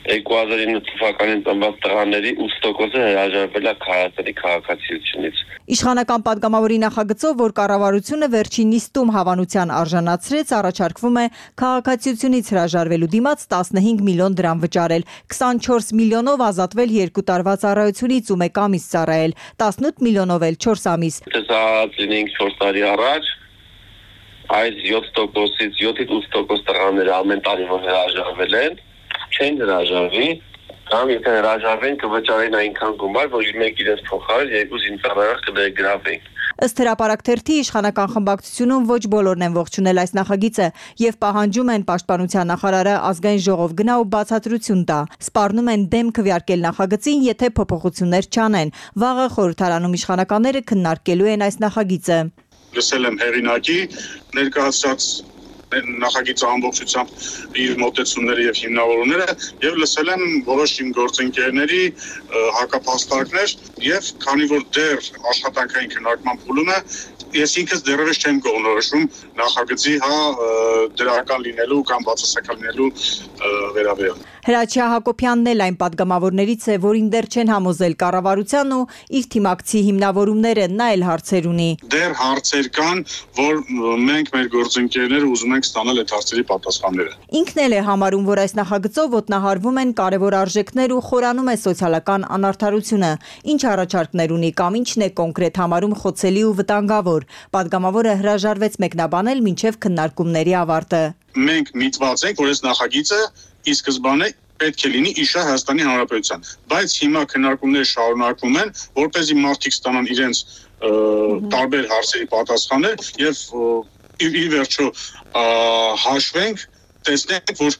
երկու հազար ինը թվականին ծնված տղաների ութ տոկոսը հրաժարվել է Հայաստանի քաղաքացիությունից։ Իշխանական падգամավորի նախագծով, որ կառավարությունը վերջին նիստում հավանության արժանացրեց, առաջարկվում է քաղաքացիությունից հրաժարվելու դիմաց տասնհինգ միլիոն դրամ վճարել, քսանչորս միլիոնով ազատվել երկու տարվա ծառայությունից ու մեկ ամիս ծառայել, տասնութ միլիոնով էլ չորս ամիս։ Տեսած լինենք չորս տարի առաջ, այս յոթ տոկոսից յոթից ութ տոկոս տղաները ամեն տարի որ հրաժարվել են, չեն հրաժարվի, կամ եթե հրաժարվեն կվճարեն այնքան գումար, որ մեկ իրենց փոխարեն երկու զինծառայող կներգրավեն։ Ըստ հրապարակ թերթի իշխանական խմբակցությունում ոչ բոլորն են ողջունել այս նախագիծը եւ պահանջում են պաշտպանության նախարարը ազգային ժողով գնա ու բացատրություն տա։ Սպառնում են դեմ քվեարկել նախագծին, եթե փոփոխություններ չանեն։ Վաղը խորհրդարանում իշխանականները քննարկելու են այս նախագիծը։ Լսել եմ հեղինակի ներկայացած նախագիծը ամբողջությամբ իր մոտեցումները եւ հիմնավորումները եւ լսել եմ որոշ իմ գործընկերների հակափաստարկներ եւ քանի որ դեռ աշխատանքային քննարկման փուլում է ես ինքս դեռևս չեմ կողմնորոշում նախագծի հա դրական լինելու կամ բացասական լինելու վերաբերյալ։ Հրաչյա Հակոբյանն էլ այն падգամավորներից է, որին դեռ չեն համոզել կառավարության ու իր թիմակցի հիմնավորումները, նա էլ հարցեր ունի։ Դեռ հարցեր կան, որ մենք մեր գործընկերները ուզում ենք ստանալ այդ հարցերի պատասխանները։ Ինքն էլ է համարում, որ այս նախագծով ոտնահարվում են կարևոր արժեքներ ու խորանում է սոցիալական անարդարությունը։ Ինչ առաջարկներ ունի կամ ինչն է կոնկրետ համարում խոցելի ու վտանգավոր։ Պատգամավորը հրաժարվեց մեկնաբանել մինչև քննարկումների ավարտը։ Մենք միտված ենք, որ այս նախագիծը ի սկզբանե պետք է լինի իշա Հայաստանի Հանրապետության, բայց հիմա քննարկումները շարունակվում են, որպեսզի մարդիկ ստանան իրենց տարբեր հարցերի պատասխաններ եւ ի վերջո հաշվենք, տեսնենք, որ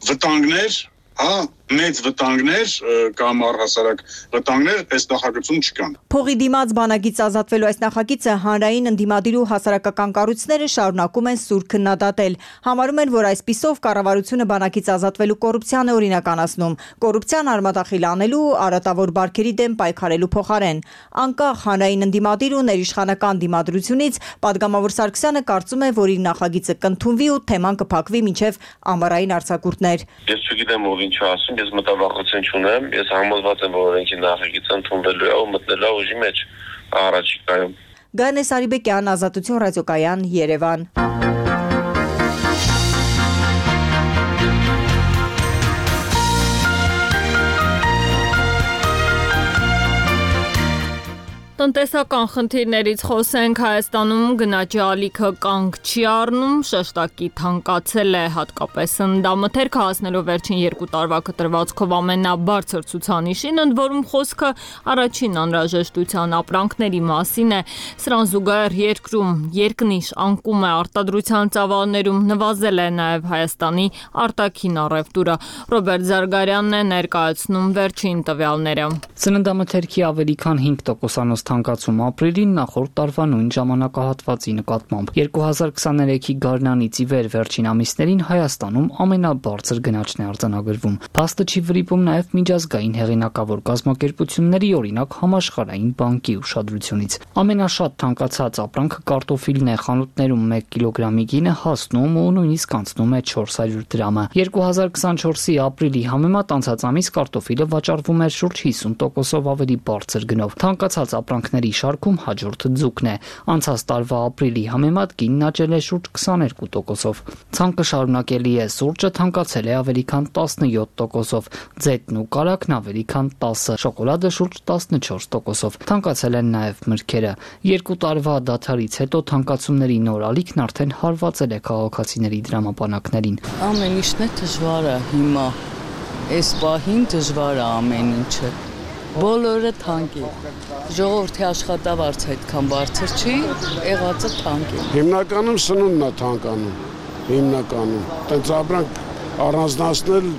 վտանգներ, հա, մեծ վտանգներ կամ առհասարակ վտանգներ այս նախագծում չկան։ Փողի դիմաց բանագից ազատվելու այս նախագիծը հանրային ընդդիմադիր ու հասարակական կառույցները շարունակում են սուր քննադատել։ Համարում են, որ այսպիսով կառավարությունը բանագից ազատվելու կոռուպցիան է օրինականացնում, կոռուպցիան արմատախիլ անելու ու արատավոր բարքերի դեմ պայքարելու փոխարեն։ Անկախ հանրային ընդդիմադիր ու ներիշխանական դիմադրությունից падգամավոր Սարգսյանը կարծում է, որ իր նախագիծը կընդունվի ու թեման կփակվի մինչև ամառային արձակուրդներ։ Ես չգիտեմ ով ինչ ասում, ես մտավախություն չունեմ, ես համոզված եմ, որ օրենքի նախագիծը ընդունվելու է ու մտնելու է ուժի մեջ առաջիկայում։ Գայանե Սարիբեկյան, Ազատություն ռադիոկայան, Երևան։ Տնտեսական խնդիրներից խոսենք, Հայաստանում գնաճի ալիքը կանգ չի առնում, շեշտակի թանկացել է, հատկապես սննդամթերքը հասնելով վերջին երկու տարվա կտրվածքով ամենաբարձր ցուցանիշին, ընդ որում խոսքը առաջին անհրաժեշտության ապրանքների մասին է։ Սրան զուգահեռ երկրում երկնիշ անկում է, արտադրության ծավալներում նվազել է նաև Հայաստանի արտաքին առևտուրը։ Ռոբերտ Զարգարյանն է ներկայացնում վերջին տվյալները։ Սննդամթերքի ավելի քան հինգ տոկոսանոց թանկացում ապրիլին նախորդ տարվա նույն ժամանակահատվածի նկատմամբ։ երկու հազար քսաներեքի գարնանից ի վեր վերջին ամիսներին Հայաստանում ամենաբարձր գնաճն է արձանագրվում։ Փաստը չի վրիպում նաև միջազգային հեղինակավոր կազմակերպությունների, օրինակ Համաշխարհային բանկի ուշադրությունից։ Ամենաշատ թանկացած ապրանքը կարտոֆիլն է, խանութներում մեկ կիլոգրամի գինը հասնում ու նույնիսկ անցնում է չորս հարյուր դրամը։ երկու հազար քսանչորսի ապրիլի համեմատ անցած ամիս կարտոֆիլը վաճառվում էր շուրջ հիսուն տոկոսով ավելի բարձր գնով։ Թանկացած ապրանք ապրանքների շարքում հաջորդ ձուկն է։ Անցած տարվա ապրիլի համեմատ գինն աճել է շուրջ քսաներկու տոկոսով։ Ցանկը շարունակելի է, սուրճը թանկացել է ավելի քան տասնյոթ տոկոսով, ձետն ու կարագն ավելի քան տասը, շոկոլադը շուրջ տասնչորս տոկոսով։ Թանկացել են նաև մրգերը։ Երկու տարվա դադարից հետո թանկացումների նոր ալիքն արդեն հարվածել է քաղաքացիների դրամապանակներին։ Ամեն ինչն է դժվար է հիմա։ Այս պահին դժվար է ամեն ինչը։ Բոլորը թանկ է։ Ժողովրդի աշխատավարձը այդքան բարձր չի, եղածը թանկ է։ Հիմնականում սնունդն է թանկանում։ Հիմնականում։ Տենց ապրանք առանձնացնել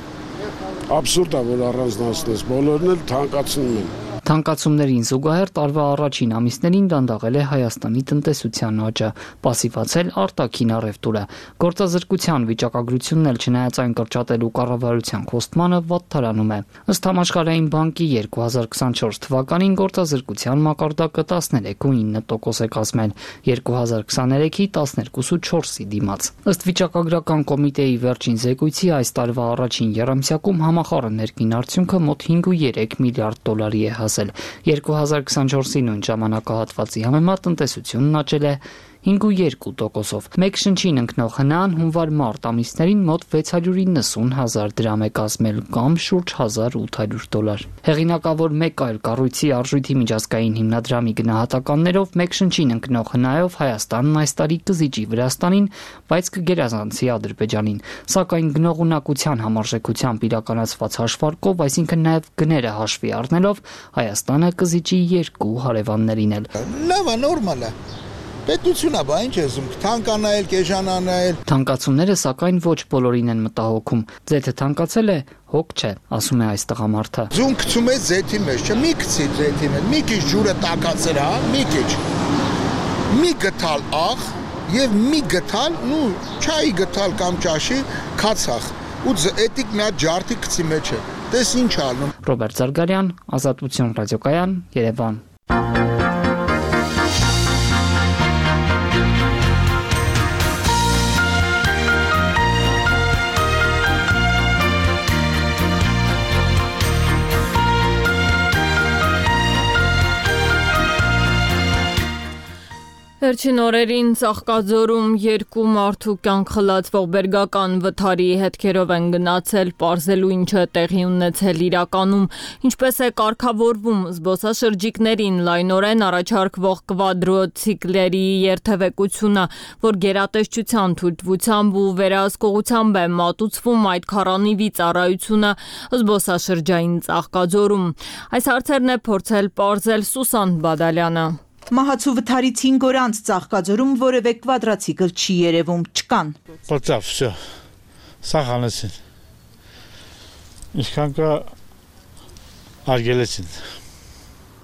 абսուրդ է, որ առանձնացնես, բոլորն էլ թանկացնում են։ Թանկացումներին զուգահեռ տարվա առաջին ամիսներին դանդաղել է Հայաստանի տնտեսության աճը, պասիվացել արտաքին առևտուրը։ Գործազրկության վիճակագրությունն էլ չնայած այն կրճատելու կառավարության խոստմանը վատթարանում է։ Ըստ Համաշխարհային բանկի երկու հազար քսանչորս թվականին գործազրկության մակարդակը տասներեք ու ինը տոկոս է կազմել, երկու հազար քսաներեքի տասներկու ու չորսի դիմաց։ Ըստ վիճակագրական կոմիտեի վերջին զեկույցի այս տարվա առաջին եռամսյակում համախառն ներքին արդյունքը մոտ հինգ ու երեք միլիարդ դոլարի է հասել։ երկու հազար քսանչորսի նույն ժամանակահատվածի համեմատ տնտեսությունն աճել է հինգ ու երկու տոկոսով։ Մեկ շնչին ընկնող հնան հունվար-մարտ ամիսներին մոտ վեց հարյուր իննսուն հազար դրամ է կազմել կամ շուրջ հազար ութ հարյուր դոլար։ Հեղինակավոր մեկ այլ կառույցի արժույթի միջազգային հիմնադրամի գնահատականներով մեկ շնչին ընկնող հնայով Հայաստանն այս տարի կզիջի Վրաստանին, բայց կգերազանցի Ադրբեջանին։ Սակայն գնողունակության համարժեքությամբ իրականացված հաշվարկով, այսինքն նաև գները հաշվի առնելով, Հայաստանը կզիջի երկու հարևաններին էլ։ Լավ է, նորմալ է։ Պետությունա, բա ինչ ես ուզում, թանկանայել, կեժանանայել։ Թանկացումները սակայն ոչ բոլորին են մտահոգում։ Ձեթը թանկացել է, հոգ չէ, ասում է այս տղամարդը։ Ձուն գցում է ձեթի մեջ, չէ, մի գցի ձեթի մեջ, մի քիչ ջուրը տաքացել, հա, մի քիչ։ Մի գտալ աղ եւ մի գտալ, նու չայի գտալ կամ ճաշի քացախ։ Ու էտիկ մի հատ ջարդի գցի մեջ է։ Տես ինչ ալնում։ Ռոբերտ Զարգարյան, Ազատություն ռադիոկայան, Երևան։ Վերջին օրերին Ծաղկաձորում երկու մարդու կյանք խլացվող բերգական վթարի հետքերով են գնացել, պարզելու ինչը տեղի ունեցել իրականում, ինչպես է կարգավորվում զբոսաշրջիկներին լայնորեն առաջարկվող կվադրոցիկլերի երթևեկությունը, որ գերատեսչության թույլտվությամբ ու վերահսկողությամբ է մատուցվում այդ քառանիվի ծառայությունը զբոսաշրջային Ծաղկաձորում։ Այս հարցերն է փորձել պարզել Սուսան Բադալյանը։ Մահացու վթարից հինգ օր անց Ծաղկաձորում որևէ կվադրացիկլ չի երևում, չկան։ Պրծավ, վсё, սախանեցին, ինչքան կա արգելեցին։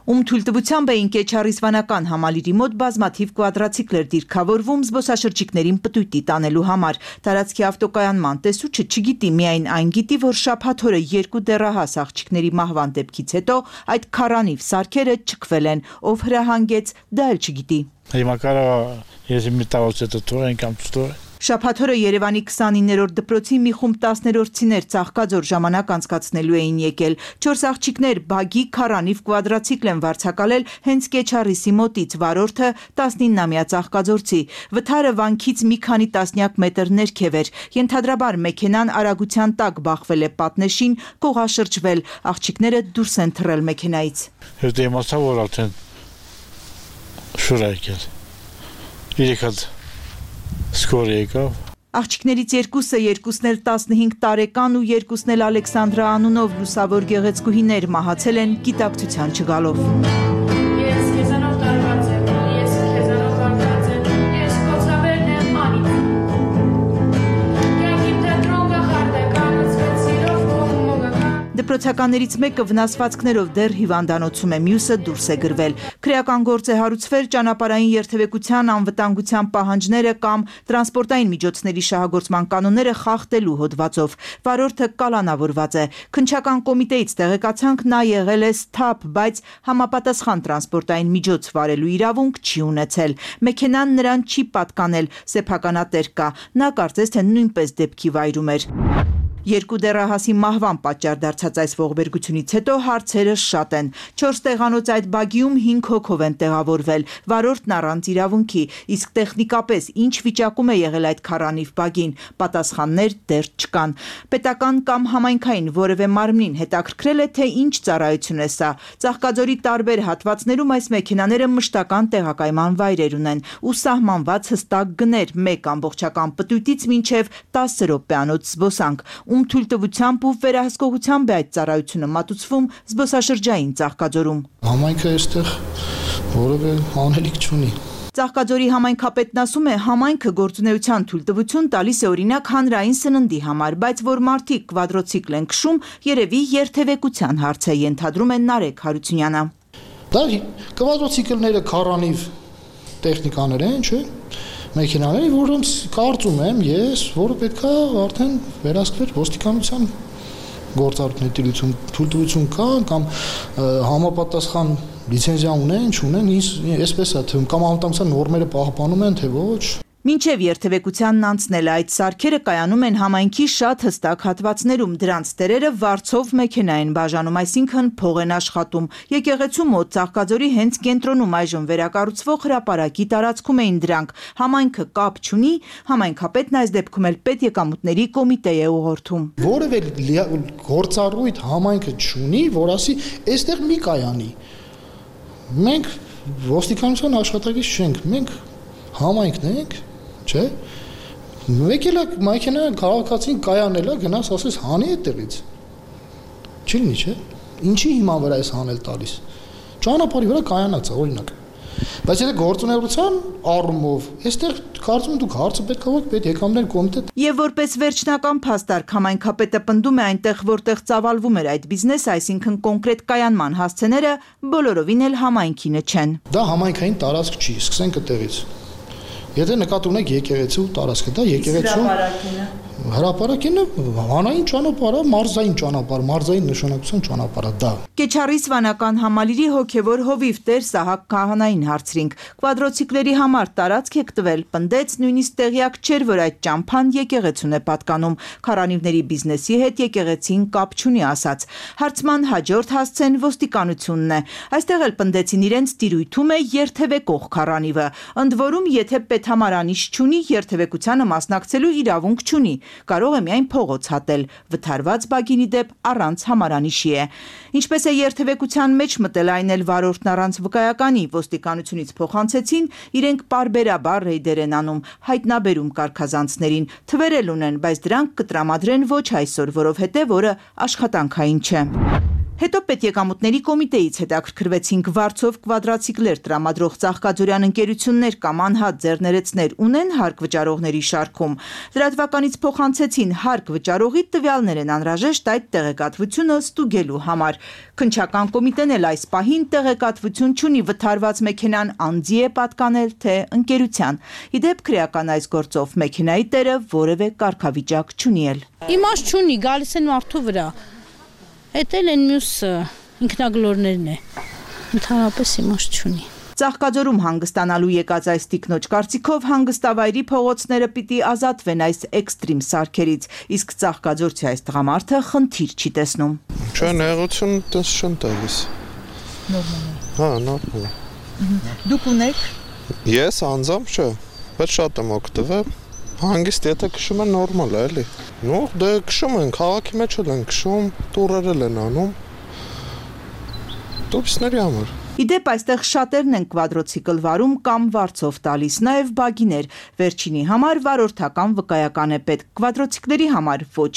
Ում թույլտվությամբ էին Կեչարիսվանական համալիրի մոտ բազմաթիվ կվադրացիկլեր դիրքավորվում զբոսաշրջիկներին պտույտի տանելու համար։ Տարածքի ավտոկայանման տեսուչը չգիտի, միայն այն գիտի, որ շաբաթ օրը երկու դեռահաս աղջիկների մահվան դեպքից հետո այդ քառանիվ սարքերը չքվել են, ով հրահանգեց, դա էլ չգիտի։ Հիմա կարող ես մի տավոց հետո թողեն կամ չթողեն։ Շաբաթ օրը Երևանի քսանիններորդ դպրոցի մի խումբ տասներորդցիներ Ծաղկաձոր ժամանակ անցկացնելու էին եկել։ Չորս աղջիկներ բագի քառանիվ կվադրացիկլ են վարձակալել հենց Կեչարիսի մոտից, վարորդը տասնիննամյա ծաղկաձորցի։ Վթարը վանքից մի քանի տասնյակ մետր ներքև էր։ Ենթադրաբար մեքենան արագության տակ բախվել է պատնեշին, կողաշրջվել։ Աղջիկները դուրս են թռել մեքենայից։ Հետո իմացա, որ արդեն շուր է եկել։ Երեք հատ Սկոր եկավ։ Աղջիկներից երկուսը, երկուսն էլ տասնհինգ տարեկան ու երկուսն էլ Ալեքսանդրա անունով լուսավոր գեղեցկուհիներ մահացել են գիտակցության չգալով։ Ես քեզանով տարված եմ, ես քեզանով վարդած եմ, ես կոցավերն եմ անիտ։ Յակիմ թետրոն գախարդ է, կանացվեց սիրով կողմ մոգական։ Դպրոցականներից մեկը վնասվածքներով դեռ հիվանդանոցում է, մյուսը դուրս է գրվել։ Քրեական գործ է հարուցվել ճանապարհային երթևեկության անվտանգության պահանջները կամ տրանսպորտային միջոցների շահագործման կանոնները խախտելու հոդվածով։ Վարորդը կալանավորված է։ Քննչական կոմիտեից տեղեկացանք, նա եղել է սթափ, բայց համապատասխան տրանսպորտային միջոց վարելու իրավունք չի ունեցել։ Մեքենան նրան չի պատկանել, սեփականատեր կա։ Նա կարծես թե նույնպես դեպքի վայրում էր։ Երկու դեռահասի մահվան պատճառ դարձած այս ողբերգությունից հետո հարցերը շատ են։ Չորս տեղանոց այդ բագիում հինգ հոգով են տեղավորվել, վարորդն առանց իրավունքի, իսկ տեխնիկապես ինչ վիճակում է եղել այդ քառանիվ բագին, պատասխաններ դեռ չկան։ Պետական կամ համայնքային որևէ մարմնին հետաքրքրել է, թե ինչ ծառայություն է սա։ Ծաղկաձորի տարբեր հատվածներում այս մեքենաները մշտական տեղակայման վայրեր ունեն ու սահմանված հստակ գներ մեկ ամբողջական պտույտից մինչև տասը րոպեանոց զբոսանք, ում թույլտվությամբ ու վերահսկողությամբ է այդ ծառայությունը մատուցվում զբոսաշրջային Ծաղկաձորում։ Համայնքը այստեղ որևէ անելիք չունի։ Ծաղկաձորի համայնքապետն ասում է, համայնքը գործունեության թույլտվություն տալիս է օրինակ հանրային սննդի համար, բայց որ մարդիկ կվադրոցիկլ են քշում, երևի երթևեկության հարց է, ենթադրում է Նարեկ Հարությունյանը։ Դա կվադրոցիկլները քառանիվ տեխնիկաներ են, չէ՞, մեքենաներ, որոնց կարծում եմ ես, որը պետք է արդեն վերահսկվեր ոստիկանության գործառույթների թույլտվություն կա կամ համապատասխան լիցենզիա ունեն, չունեն, այսպես է թվում, կամ անվտանգության նորմերը պահպանում են, թե ոչ։ Մինչև երթևեկությանն անցնելը այդ սարքերը կայանում են համայնքի շատ հստակ հատվածներում, դրանց տերերը վարձով մեքենա են բաժանում, այսինքն փող են աշխատում։ Եկեղեցու մոտ Ծաղկաձորի հենց կենտրոնում այժմ վերակառուցվող հրապարակի տարածքում էին դրանք։ Համայնքը կապ չունի, համայնքապետն այս դեպքում էլ պետեկամուտների կոմիտե է ուղղորդում։ Որևէ գործառույթ համայնքը չունի, որ ասի, այստեղ մի կայանի։ Մենք ոստիկանության աշխատակից չենք, մենք համայնքն ենք, չէ՞։ Մեկ էլ մեքենա քաղաքացին կայանելա, գնաս ասես հանի այդտեղից։ Չի լինի, չէ՞։ Ինչի հիման վրա էս հանել տալիս։ Ճանապարհի վրա կայանած է, օրինակ։ Բայց եթե գործունեության առումով, այստեղ կարծում եմ դուք հարցը պետք է ուղղեք պետեկամուտների կոմիտե։ Եվ որպես վերջնական փաստարկ համայնքապետը պնդում է այնտեղ, որտեղ ծավալվում էր այդ բիզնեսը, այսինքն կոնկրետ կայանման հասցեները բոլորովին էլ համայնքինը չեն։ Դա համայնքային տարածք չի, սկսենք այդտեղից։ Եթե նկատի ունեք եկեղեցու տարածքը, դա եկեղեցու հրապարակինը հանային ճանապարհը, մարզային ճանապարհ, մարզային նշանակության ճանապարհը դա։ Կեչարի Սվանական համալիրի հոգևոր հովիվ Տեր Սահակ Քահանային հարցրինք։ Կվադրոցիկլերի համար տարածք եք տվել, պնդեց նույնիսկ տեղյակ չէր, որ այդ ճամփան եկեղեցուն է պատկանում։ Քարանիվների բիզնեսի հետ եկեղեցին կապ չունի ասաց։ Հարցման հաջորդ հասցեն ոստիկանությունն է։ Այստեղ էլ պնդեցին իրենց տիրույթում է երթևեկող քարանիվը։ Ընդ որում, եթե պետհամարանիշ չունի, երթևեկությանը մասնակցելու իրավունք չունի։ Կարող է միայն փողոց հատել, վթարված բագինի դեպ առանց համարանիշի է։ Ինչպես է երթևեկության մեջ մտել այն էլ վարորդն առանց վկայականի, ոստիկանությունից փոխանցեցին, իրենք պարբերաբար ռեյդեր են անում, հայտնաբերում կարգազանցներին, թվեր էլ ունեն, բայց դրանք կտրամադրեն ոչ այսօր, որովհետև օրը աշխատանքային չէ։ Հետո պետեկամուտների կոմիտեից հետաքրքրվեցինք վարձով կվադրացիկլեր տրամադրող Ծաղկաձորյան ընկերություններ կամ անհատ ձեռներեցներ ունեն հարկ վճարողների շարքում։ Լրատվականից փոխանցեցին հարկ վճարողի տվյալներ են անհրաժեշտ այդ տեղեկատվությունը ստուգելու համար։ Քննչական կոմիտեն էլ այս պահին տեղեկատվություն չունի վթարված մեքենան անձի է պատկանել, թե ընկերության։ Իդեպ քրեական այս գործով մեքենայի տերը որևէ կարգավիճակ չունի էլ։ Իմաստ չունի, գալիս են մարդու վրա։ Էդ էլ են մյուս ինքնագլորներն է, ընդհանրապես իմաստ չունի։ Ծաղկաձորում հանգստանալու եկած այս տիկնոջ կարծիքով հանգստավայրի փողոցները պիտի ազատվեն այս էքստրիմ սարքերից, իսկ ծաղկաձորցի այս տղամարդը խնդիր չի տեսնում։ Չէ, նեղություն դες չեմ տալիս։ Նորմալ է։ Հա, նորմալ է։ Դուք ունեք։ Ես անձամբ չէ, բայց շատ եմ օգտվել։ Հանգիստ եթե քշում են նորմալ է, էլի։ Նո, դե քշում են, քաղաքի մեջ էլ են քշում, տուրերել են անում։ Տուրիստների համար։ Իդեպ այստեղ շատերն են կվադրոցիկլ վարում կամ վարձով տալիս, նաև բագիներ։ Վերջինի համար վարորդական վկայական է պետք, կվադրոցիկլերի համար ոչ։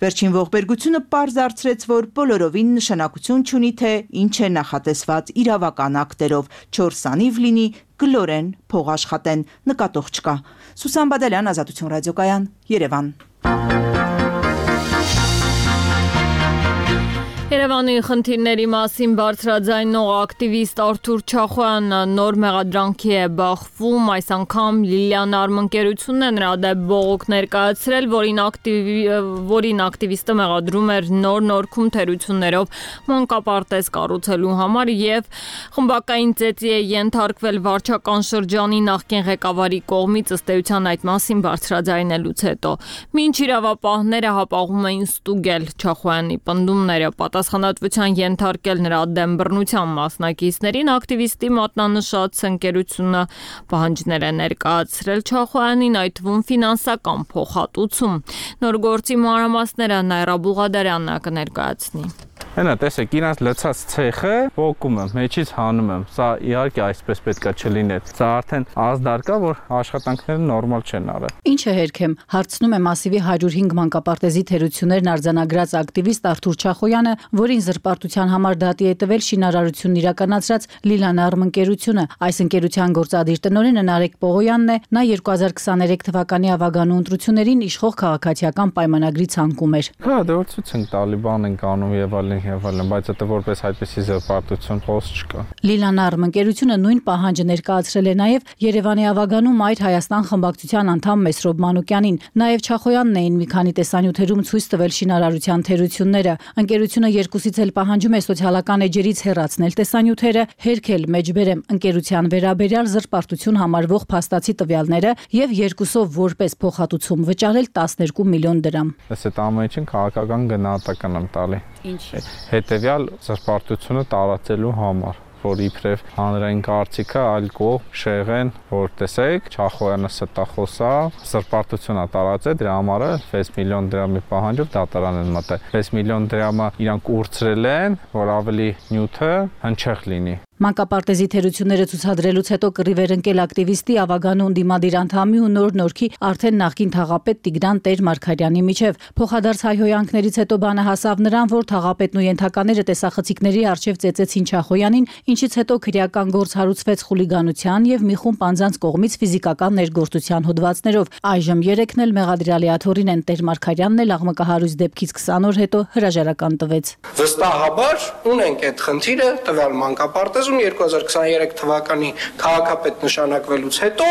Վերջին ողբերգությունը պարզ դարձրեց, որ բոլորովին նշանակություն չունի, թե ինչ է նախատեսված իրավական ակտերով, չորս անիվ լինի, գլորեն, փող աշխատեն, նկատող չկա։ Սուսան Բադալյան, Ազատություն ռադիոկայան, Երևան։ Երևանի խնդիրների մասին բարձրաձայնող ակտիվիստ Արթուր Չախոյանը նոր մեղադրանքի է բախվում, այս անգամ Լիլիան արմընկերությունն է նրա դեմ բողոք ներկայացրել, որին, ակտիվ... որին ակտիվիստը մեղադրում էր նոր նորքում թերություններով մանկապարտեզ կառուցելու համար եւ խմբակային ծեծի է ենթարկվել վարչական շրջանի նախկին ղեկավարի կողմից, ըստ էության այդ մասին բարձրաձայնելուց հետո։ Մինչ իրավապահները հապաղում էին ստուգել Չախոյանի պնդումները, պատասխանատվության ենթարկել նրա դեմ բռնության մասնակիցներին, ակտիվիստի մատնանշած ընկերությունը պահանջներ է ներկայացրել Չախոյանին, այդ թվում ֆինանսական փոխհատուցում։ Նոր գործի մանրամասները Նայրա Բուղադարյանն կներկայացնի։ Հենա, տեսեք, իրանց լցած ցեխը ողկում եմ, մեջից հանում եմ։ Սա իհարկե այսպես պետքա չլիներ։ Սա արդեն ազդար կա, որ աշխատանքները նորմալ չեն արել։ Ինչ է հերքեմ, հարցնում է Մասիվի հարյուր հինգ մանկապարտեզի թերություններն արձանագրած ակտիվիստ Արթուր Չախոյանը, որին զրպարտության համար դատի է տվել շինարարությունն իրականացրած Լիլան արմընկերությունը։ Այս ընկերության գործադիր տնօրենը Նարեկ Պողոյանն է, նա երկու հազար քսաներեք թվականի ավագանու ընտրություններին իշխող քաղաքացիական պայմանագրի ցանկում էր։ Հա, դեռ ցույց են Տալիբան են կանում եւ այլն եւ այլն, բայց դա որպես այդպեսի զրպարտություն խոսք չկա։ Լիլան արմընկերությունը նույն պահանջը ներկայացրել է նաեւ Երևանի ավագանու Մայր Հայաստան խմբակցության անդամ Մեսրոբ Մանուկյանին, նաեւ Չախոյանն էին մի քանի տեսանյութերում ցույց տվել շինարարության թերությունները։ Ընկերությունը երկուսից էլ պահանջում է սոցիալական էջերից հեռացնել տեսանյութերը, հերքել մեջբերեմ ընկերության վերաբերյալ զրպարտություն համարվող փաստացի տվյալները եւ երկուսով որպես փոխհատուցում վճարել տասներկու միլիոն դրամ։ Այս այդ ամենին քաղաքական գնահատական եմ տալի։ Ինչ հետեւյալ զրպարտությունը տարածելու համար, որ իբրև հանրային կարծիքը այլ կողմ շեղեն, որ տեսեք, Չախոյանը ստախոս է, զրպարտություն է տարածել, դրա համար վեց միլիոն դրամի պահանջով դատարան են մտել։ վեց միլիոն դրամը իրանք ուրցրել են, որ ավելի նյութը հնչեղ լինի։ Մանկապարտեզի թերությունները ցուցադրելուց հետո կռիվ էր ընկել ակտիվիստի ավագանու ընդդիմադիր անդամի ու նոր նորքի արդեն նախկին թաղապետ Տիգրան Տեր-Մարգարյանի միջև։ Փոխադարձ հայհոյանքներից հետո բանը հասավ նրան, որ թաղապետն ու ենթակաները տեսախցիկների առջև ծեծեցին Չախոյանին, ինչից հետո քրեական գործ հարուցվեց խուլիգանության եւ մի խումբ անձանց կողմից ֆիզիկական ներգործության հոդվածներով։ Այժմ երեքն էլ մեղադրյալի աթոռին են, Տեր-Մարգարյանն էլ աղմկահարույց դեպքից քսան օր հետո հրաժարական տվեց։ Վստահաբար ունենք այդ խնդիրը տվյալ մանկապարտեզ երկու հազար քսաներեք թվականի քաղաքապետ նշանակվելուց հետո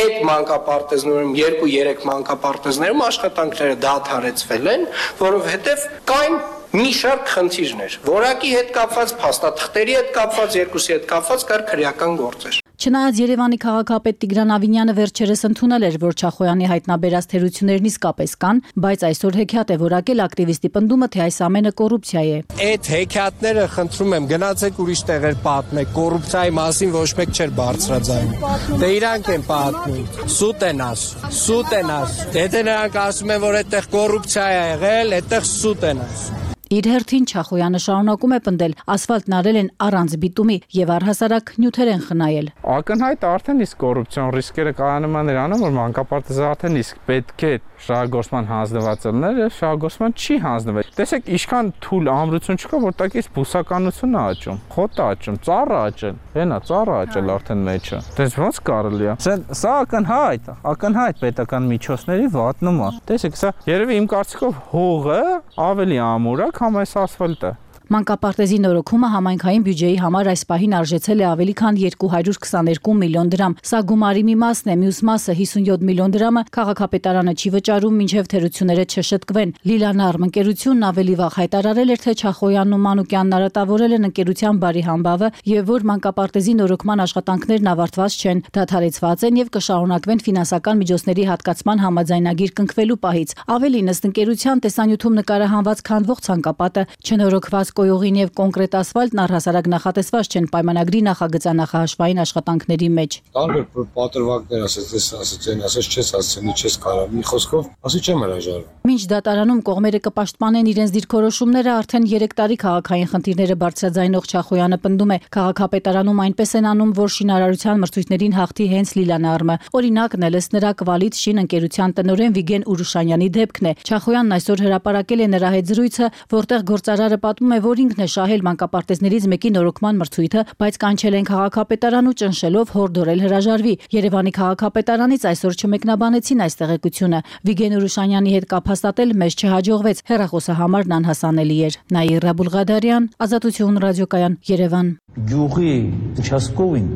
այդ մանկապարտեզներում երկու-երեք մանկապարտեզներում աշխատանքները դադարեցվել են, որովհետև կային մի շարք խնդիրներ, որակի հետ կապված, փաստաթղթերի հետ կապված, երկուսի հետ կապված կար քրեական գործեր։ Չնայած Երևանի քաղաքապետ Տիգրան Ավինյանը վերջերս ընդունել էր, որ Չախոյանի հայտնաբերած թերություններն իսկապես կան, բայց այսօր հեքիաթ է որակել ակտիվիստի պնդումը, թե այս ամենը կոռուպցիա է։ Այդ հեքիաթները խնդրում եմ գնացեք ուրիշ տեղեր պատմեք, կոռուպցիայի մասին ոչ մեկ չէր բարձրաձայնում։ Դե իրանք են պատմում, սուտ են ասում, սուտ են ասում։ Եթե նրանք ասում են, որ այդտեղ կոռուպցիա է եղել, այդտեղ սուտ են ասում։ Իր հերթին Չախոյանը շարունակում է պնդել, ասֆալտն արել են առանց բիտումի եւ առհասարակ նյութեր են խնայել։ Ակնհայտ արդեն իսկ կոռուպցիոն ռիսկերը կայանում են նրանում, որ մանկապարտեզը արդեն իսկ պետք է շահագործման հանձնված լիներ, եւ շահագործման չի հանձնվել։ Տեսեք, ինչքան թույլ ամրություն չկա, որ տակից բուսականությունն է աճում, խոտը աճում, ծառը աճել, հենա ծառը աճել արդեն մեջը։ Դες ոնց կարելի է։ Սա ակնհայտ, ակնհայտ պետական միջոցների վատնում է։ Տեսեք, սա երևի իմ կարծիքով հողը ավելի ամուր է, քան այս ասֆալտը։ Մանկապարտեզի նորոգումը համայնքային բյուջեի համար այս պահին արժեցել է ավելի քան երկու հարյուր քսաներկու միլիոն դրամ։ Սա գումարի մի մասն է, մյուս մասը հիսունյոթ միլիոն դրամը քաղաքապետարանը չի վճարում, մինչև թերությունները չշտկվեն։ Լիլան արմընկերությունն ավելի վաղ հայտարարել էր, թե Չախոյանն ու Մանուկյանն արատավորել են ընկերության բարի համբավը եւ որ մանկապարտեզի նորոգման աշխատանքներն ավարտված չեն, դադարեցված են եւ կշարունակվեն ֆինանսական միջոցների հատկացման համաձայնագիր կնքվելու պահից։ Ավելին, ըստ ընկերության տեսանյութում նկարահանված քանդվող ցանկապատը չնորոգված կոյողին եւ կոնկրետ ասֆալտն առհասարակ նախատեսված չեն պայմանագրի նախագծանախահաշվային աշխատանքների մեջ։ Տարբեր պատրվակներ ասած, ասած են, ասած չես ասցնի, չես կարող։ Մի խոսքով, ասի չեմ հրաժարվում։ Մինչ դատարանում կողմերը կպաշտպանեն իրենց դիրքորոշումները, արդեն երեք տարի քաղաքային խնդիրները բարձրաձայնող Չախոյանը պնդում է, քաղաքապետարանում այնպես են անում, որ շինարարության մրցույթներին հաղթի հենց Լիլան Արմը։ Օրինակն էլ ըստ նրա Կվալիտ շին ընկերության տնօրեն Վիգեն Ուրուշանյանի դեպքն է։ Չախոյանն այսօր հրապարակել է նրա հետ զրույցը, որտեղ գործարարը պատմում է, որ ինքն է շահել մանկապարտեզներից մեկի նորոգման մրցույթը, բայց կանչել են քաղաքապետարան ու ճնշելով հորդորել հրաժարվի։ Երևանի քաղաքապետարանից այսօր չմեկնաբանեցին այս տեղեկությունը։ Վիգեն Ուրուշանյանի հետ կապ հաստատել մեզ չհաջողվեց։ Հեռախոսահամարն անհասանելի էր։ Նաիրա Բուլղադարյան, Ազատություն ռադիոկայան, Երևան։ Գյուղի участковին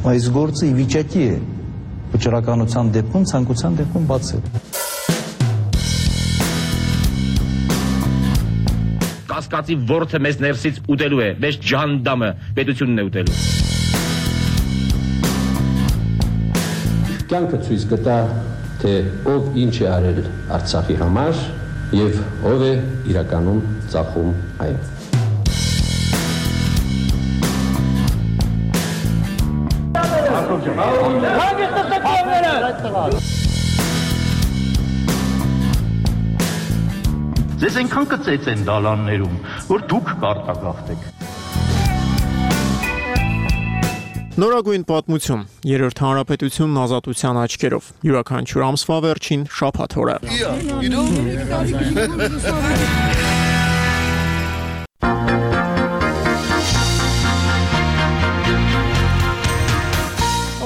այս գործը ի վիճակի է վճռականության դեպքում, ցանկության դեպքում բացել։ Կասկածի ворթը մեզ ներսից ուտելու է, մեզ ջանդամը պետությունն է ուտելու։ Կյանքը ցույց կտա, թե ով ինչ է արել Արցախի համար եւ ով է իրականում ծախում այն։ Ձեզ այնքան կծեց են դալաններում, որ դուք կարտագաղթեք։ Նորագույն պատմություն, երրորդ հանրապետությունն ազատության աչքերով, յուրաքանչյուր ամսվա վերջին շաբաթ օրը։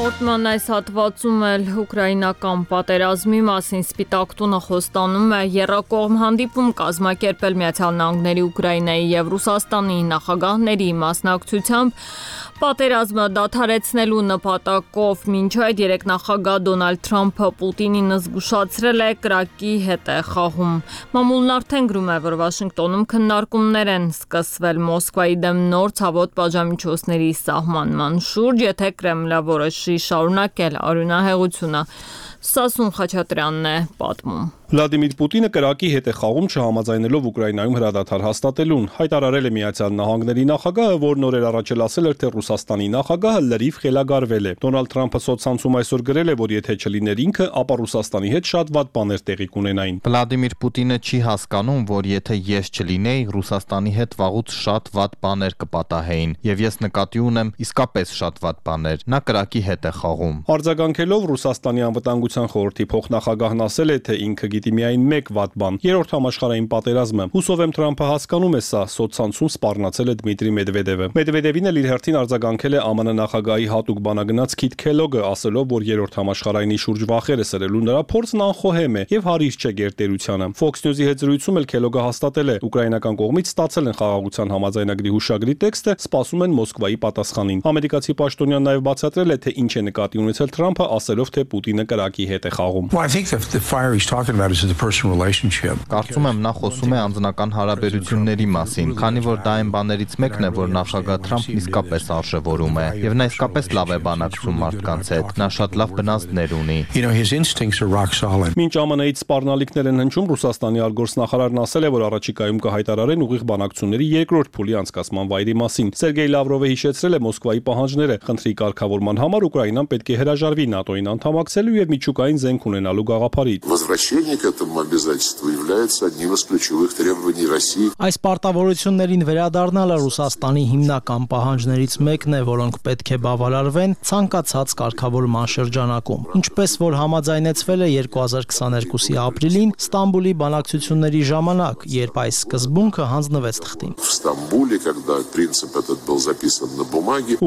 Օրտման այս հատվածում էլ ուկրաինական պատերազմի մասին Սպիտակ տունը խոստանում է եռակողմ հանդիպում կազմակերպել Միացյալ Նահանգների, Ուկրաինայի եւ Ռուսաստանի նախագահների մասնակցությամբ պատերազմը դադարեցնելու նպատակով։ Մինչ այդ երեք նախագահ Դոնալդ Թրամփը Պուտինին զգուշացրել է կրակի հետ է խաղում։ Մամուլն արդեն գրում է, որ Վաշինգտոնում քննարկումներ են սկսվել Մոսկվայի դեմ նոր ցավոտ պատժամիջոցների սահմանման շուրջ, եթե Կրեմլը որոշի շարունակել արյունահեղությունը։ Սասուն Խաչատրյանն է պատմում։ Վլադիմիր Պուտինը կրակի հետ է խաղում չհամաձայնելով Ուկրաինայում հրադադար հաստատելուն։ Հայտարարել է Միացյալ Նահանգների նախագահը, որ նորեր առաջել ասել էր, թե Ռուսաստանի նախագահը լրիվ խելագարվել է։ Դոնալդ Թրամփը սոցցանցում այսօր գրել է, որ եթե չլիներ ինքը, ապա Ռուսաստանի հետ շատ վատ բաներ տեղի կունենային։ Վլադիմիր Պուտինը չի հասկանում, որ եթե ես չլինեի, Ռուսաստանի հետ վաղուց շատ վատ բաներ կպատահեին, եւ ես նկատի ունեմ իսկապես շատ վատ բաներ։ Նա կրակի հետ է խաղում։ Արձագանքելով Ռուսաստանի անվտանգության խորհրդի փոխնախագահն ասել է, թե ինքը գիտի միայն մեկ վատ բան՝ երրորդ համաշխարհային պատերազմը։ Հուսով եմ Թրամփը հասկանում է սա, սոցցանցում սպառնացել է Դմիտրի Մեդվեդևը։ Մեդվեդևին էլ իր հերթին արձագանքել է ԱՄՆ նախագահի հատուկ բանագնաց Քիթ Քելոգը, ասելով, որ երրորդ համաշխարհայինի շուրջ վախերը սրելու նրա փորձն անխոհեմ է եւ հարիր չէ գերտերությանը։ Fox News-ի հետ զրույցում էլ Քելոգը հաստատել է, ուկրաինական կողմից ստացել են խաղաղության համաձայնագրի հուշագրի տեքստը, սպասում են Մոսկվայի պատասխանին։ Ամերիկացի պաշտոնյան նաեւ բացատրել է, թե ինչ է նկատի ունեցել Թրամփը, ասելով, թե Պուտինը կրակի հետ է խաղում։ Կարծում եմ նա խոսում է անձնական հարաբերությունների մասին, քանի որ դա այն բաներից մեկն է, որ նախագահ Թրամփն իսկապես արժևորում է, եւ նա իսկապես լավ է բանակցում մարդկանց հետ, նա շատ լավ բնազդներ ունի։ Մինչ ԱՄՆ-ից սպառնալիքներ են հնչում, Ռուսաստանի արտգործնախարարն ասել է, որ առաջիկայում կհայտարարեն ուղիղ բանակցությունների երկրորդ փուլի անցկացման վայրի մասին։ Սերգեյ Լավրովը հիշեցրել է Մոսկվայի պահանջները, խնդրի կարգավորման համար Ուկրաինան պետք է հրաժարվի ՆԱՏՕ-ին անդամակցելու եւ միջուկային զենք ունենալու գաղափարից։ Այս պարտավորություններին վերադառնալը Ռուսաստանի հիմնական պահանջներից մեկն է, որոնք պետք է բավարարվեն ցանկացած կարգավորման շրջանակում։ Ինչպես որ համաձայնեցվել է երկու հազար քսաներկուսի ապրիլին Ստամբուլի բանակցությունների ժամանակ, երբ այս սկզբունքը հանձնվեց թղթին։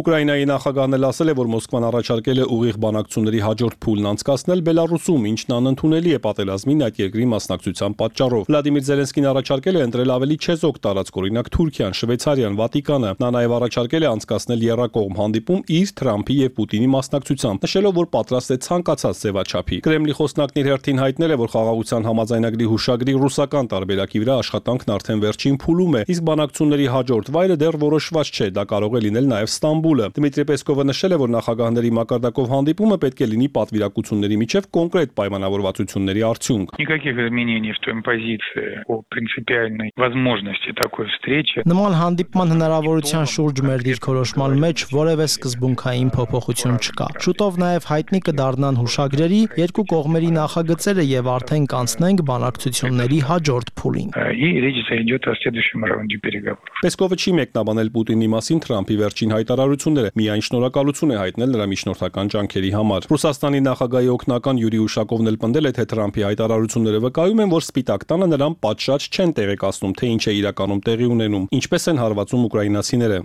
Ուկրաինայի նախագահն էլ ասել է, որ Մոսկվան առաջարկել է ուղիղ բանակցությունների հաջորդ փուլն անցկացնել Բելարուսում, ինչն անընդունելի է պատերազմին այդ երկրի մասնակցության պատճառով։ Վլադիմիր Զելենսկին առաջարկել է ընտրել ավելի չեզոք տարածք, օրինակ Թուրքիան, Շվեյցարիան, Վատիկանը։ Նա նաև առաջարկել է անցկացնել եռակողմ հանդիպում իր, Թրամփի եւ Պուտինի մասնակցությամբ, նշելով, որ պատրաստ է ցանկացած ձևաչափի։ Կրեմլի խոսնակն իր հերթին հայտնել է, որ խաղաղության համաձայնագրի հուշագրի ռուսական տարբերակի վրա աշխատանքն արդեն վերջին փուլում է, իսկ բանակցությունների հաջորդ վայրը դեռ որոշված չէ, դա կարող է լինել նաև Ստամբուլը։ Դմիտրի Պեսկովը նշել է, որ նախագահների մակարդակով հանդիպումը պետք է լինի պատվիրակությունների միջև կոնկրետ պայմանավորվածությունների արդյունք։ Никаких изменений в той позиции о принципиальной возможности такой встречи. Նման հանդիպման հնարավորության շուրջ մեր դիրքորոշման մեջ որևէ սկզբունքային փոփոխություն չկա։ Շուտով նաև հայտնի կդառնան հուշագրերի երկու կողմերի նախագծերը եւ արդեն կանցնենք բանակցությունների հաջորդ փուլին։ И речь зайдет о следующем раунде переговоров. Պեսկովը չի մեկնաբանել Պուտինի մասին Թրամփի վերջին հայտարարությունները, միայն շնորհակալություն է հայտնել նրա միջնորդական ջանքերի համար։ Ռուսաստանի նախագահի օգնական գործնական Յուրի Ուշակովն էլ պնդել է, թե Թրամփի հայտարարությունները վկայում են, որ Սպիտակ տանը նրան պատշաճ չեն տեղեկացնում, թե ինչ է իրականում տեղի ունենում, ինչպես են հարվածում ուկրաինացիները։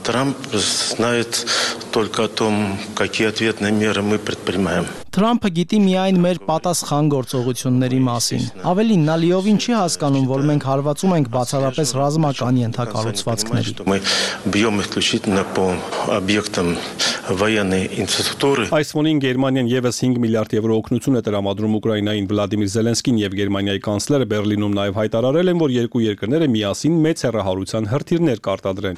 Трамп знает только о том, какие ответные меры мы предпринимаем. Թրամփը գիտի միայն մեր պատասխան գործողությունների մասին։ Ավելին, նա լիովին չի հասկանում, որ մենք հարվածում ենք բացառապես ռազմական ենթակառուցվածքների։ Мы бьем исключительно по объектам военной инфраструктуры. Այս ֆոնին Գերմանիան եւս հինգ միլիարդ եվրո օգնություն է տրամադրում Ուկրաինային։ Վլադիմիր Զելենսկին եւ Գերմանիայի կանցլերը Բերլինում նաեւ հայտարարել են, որ երկու երկրները միասին մեծ հեռահարության հրթիռներ կարտադրեն։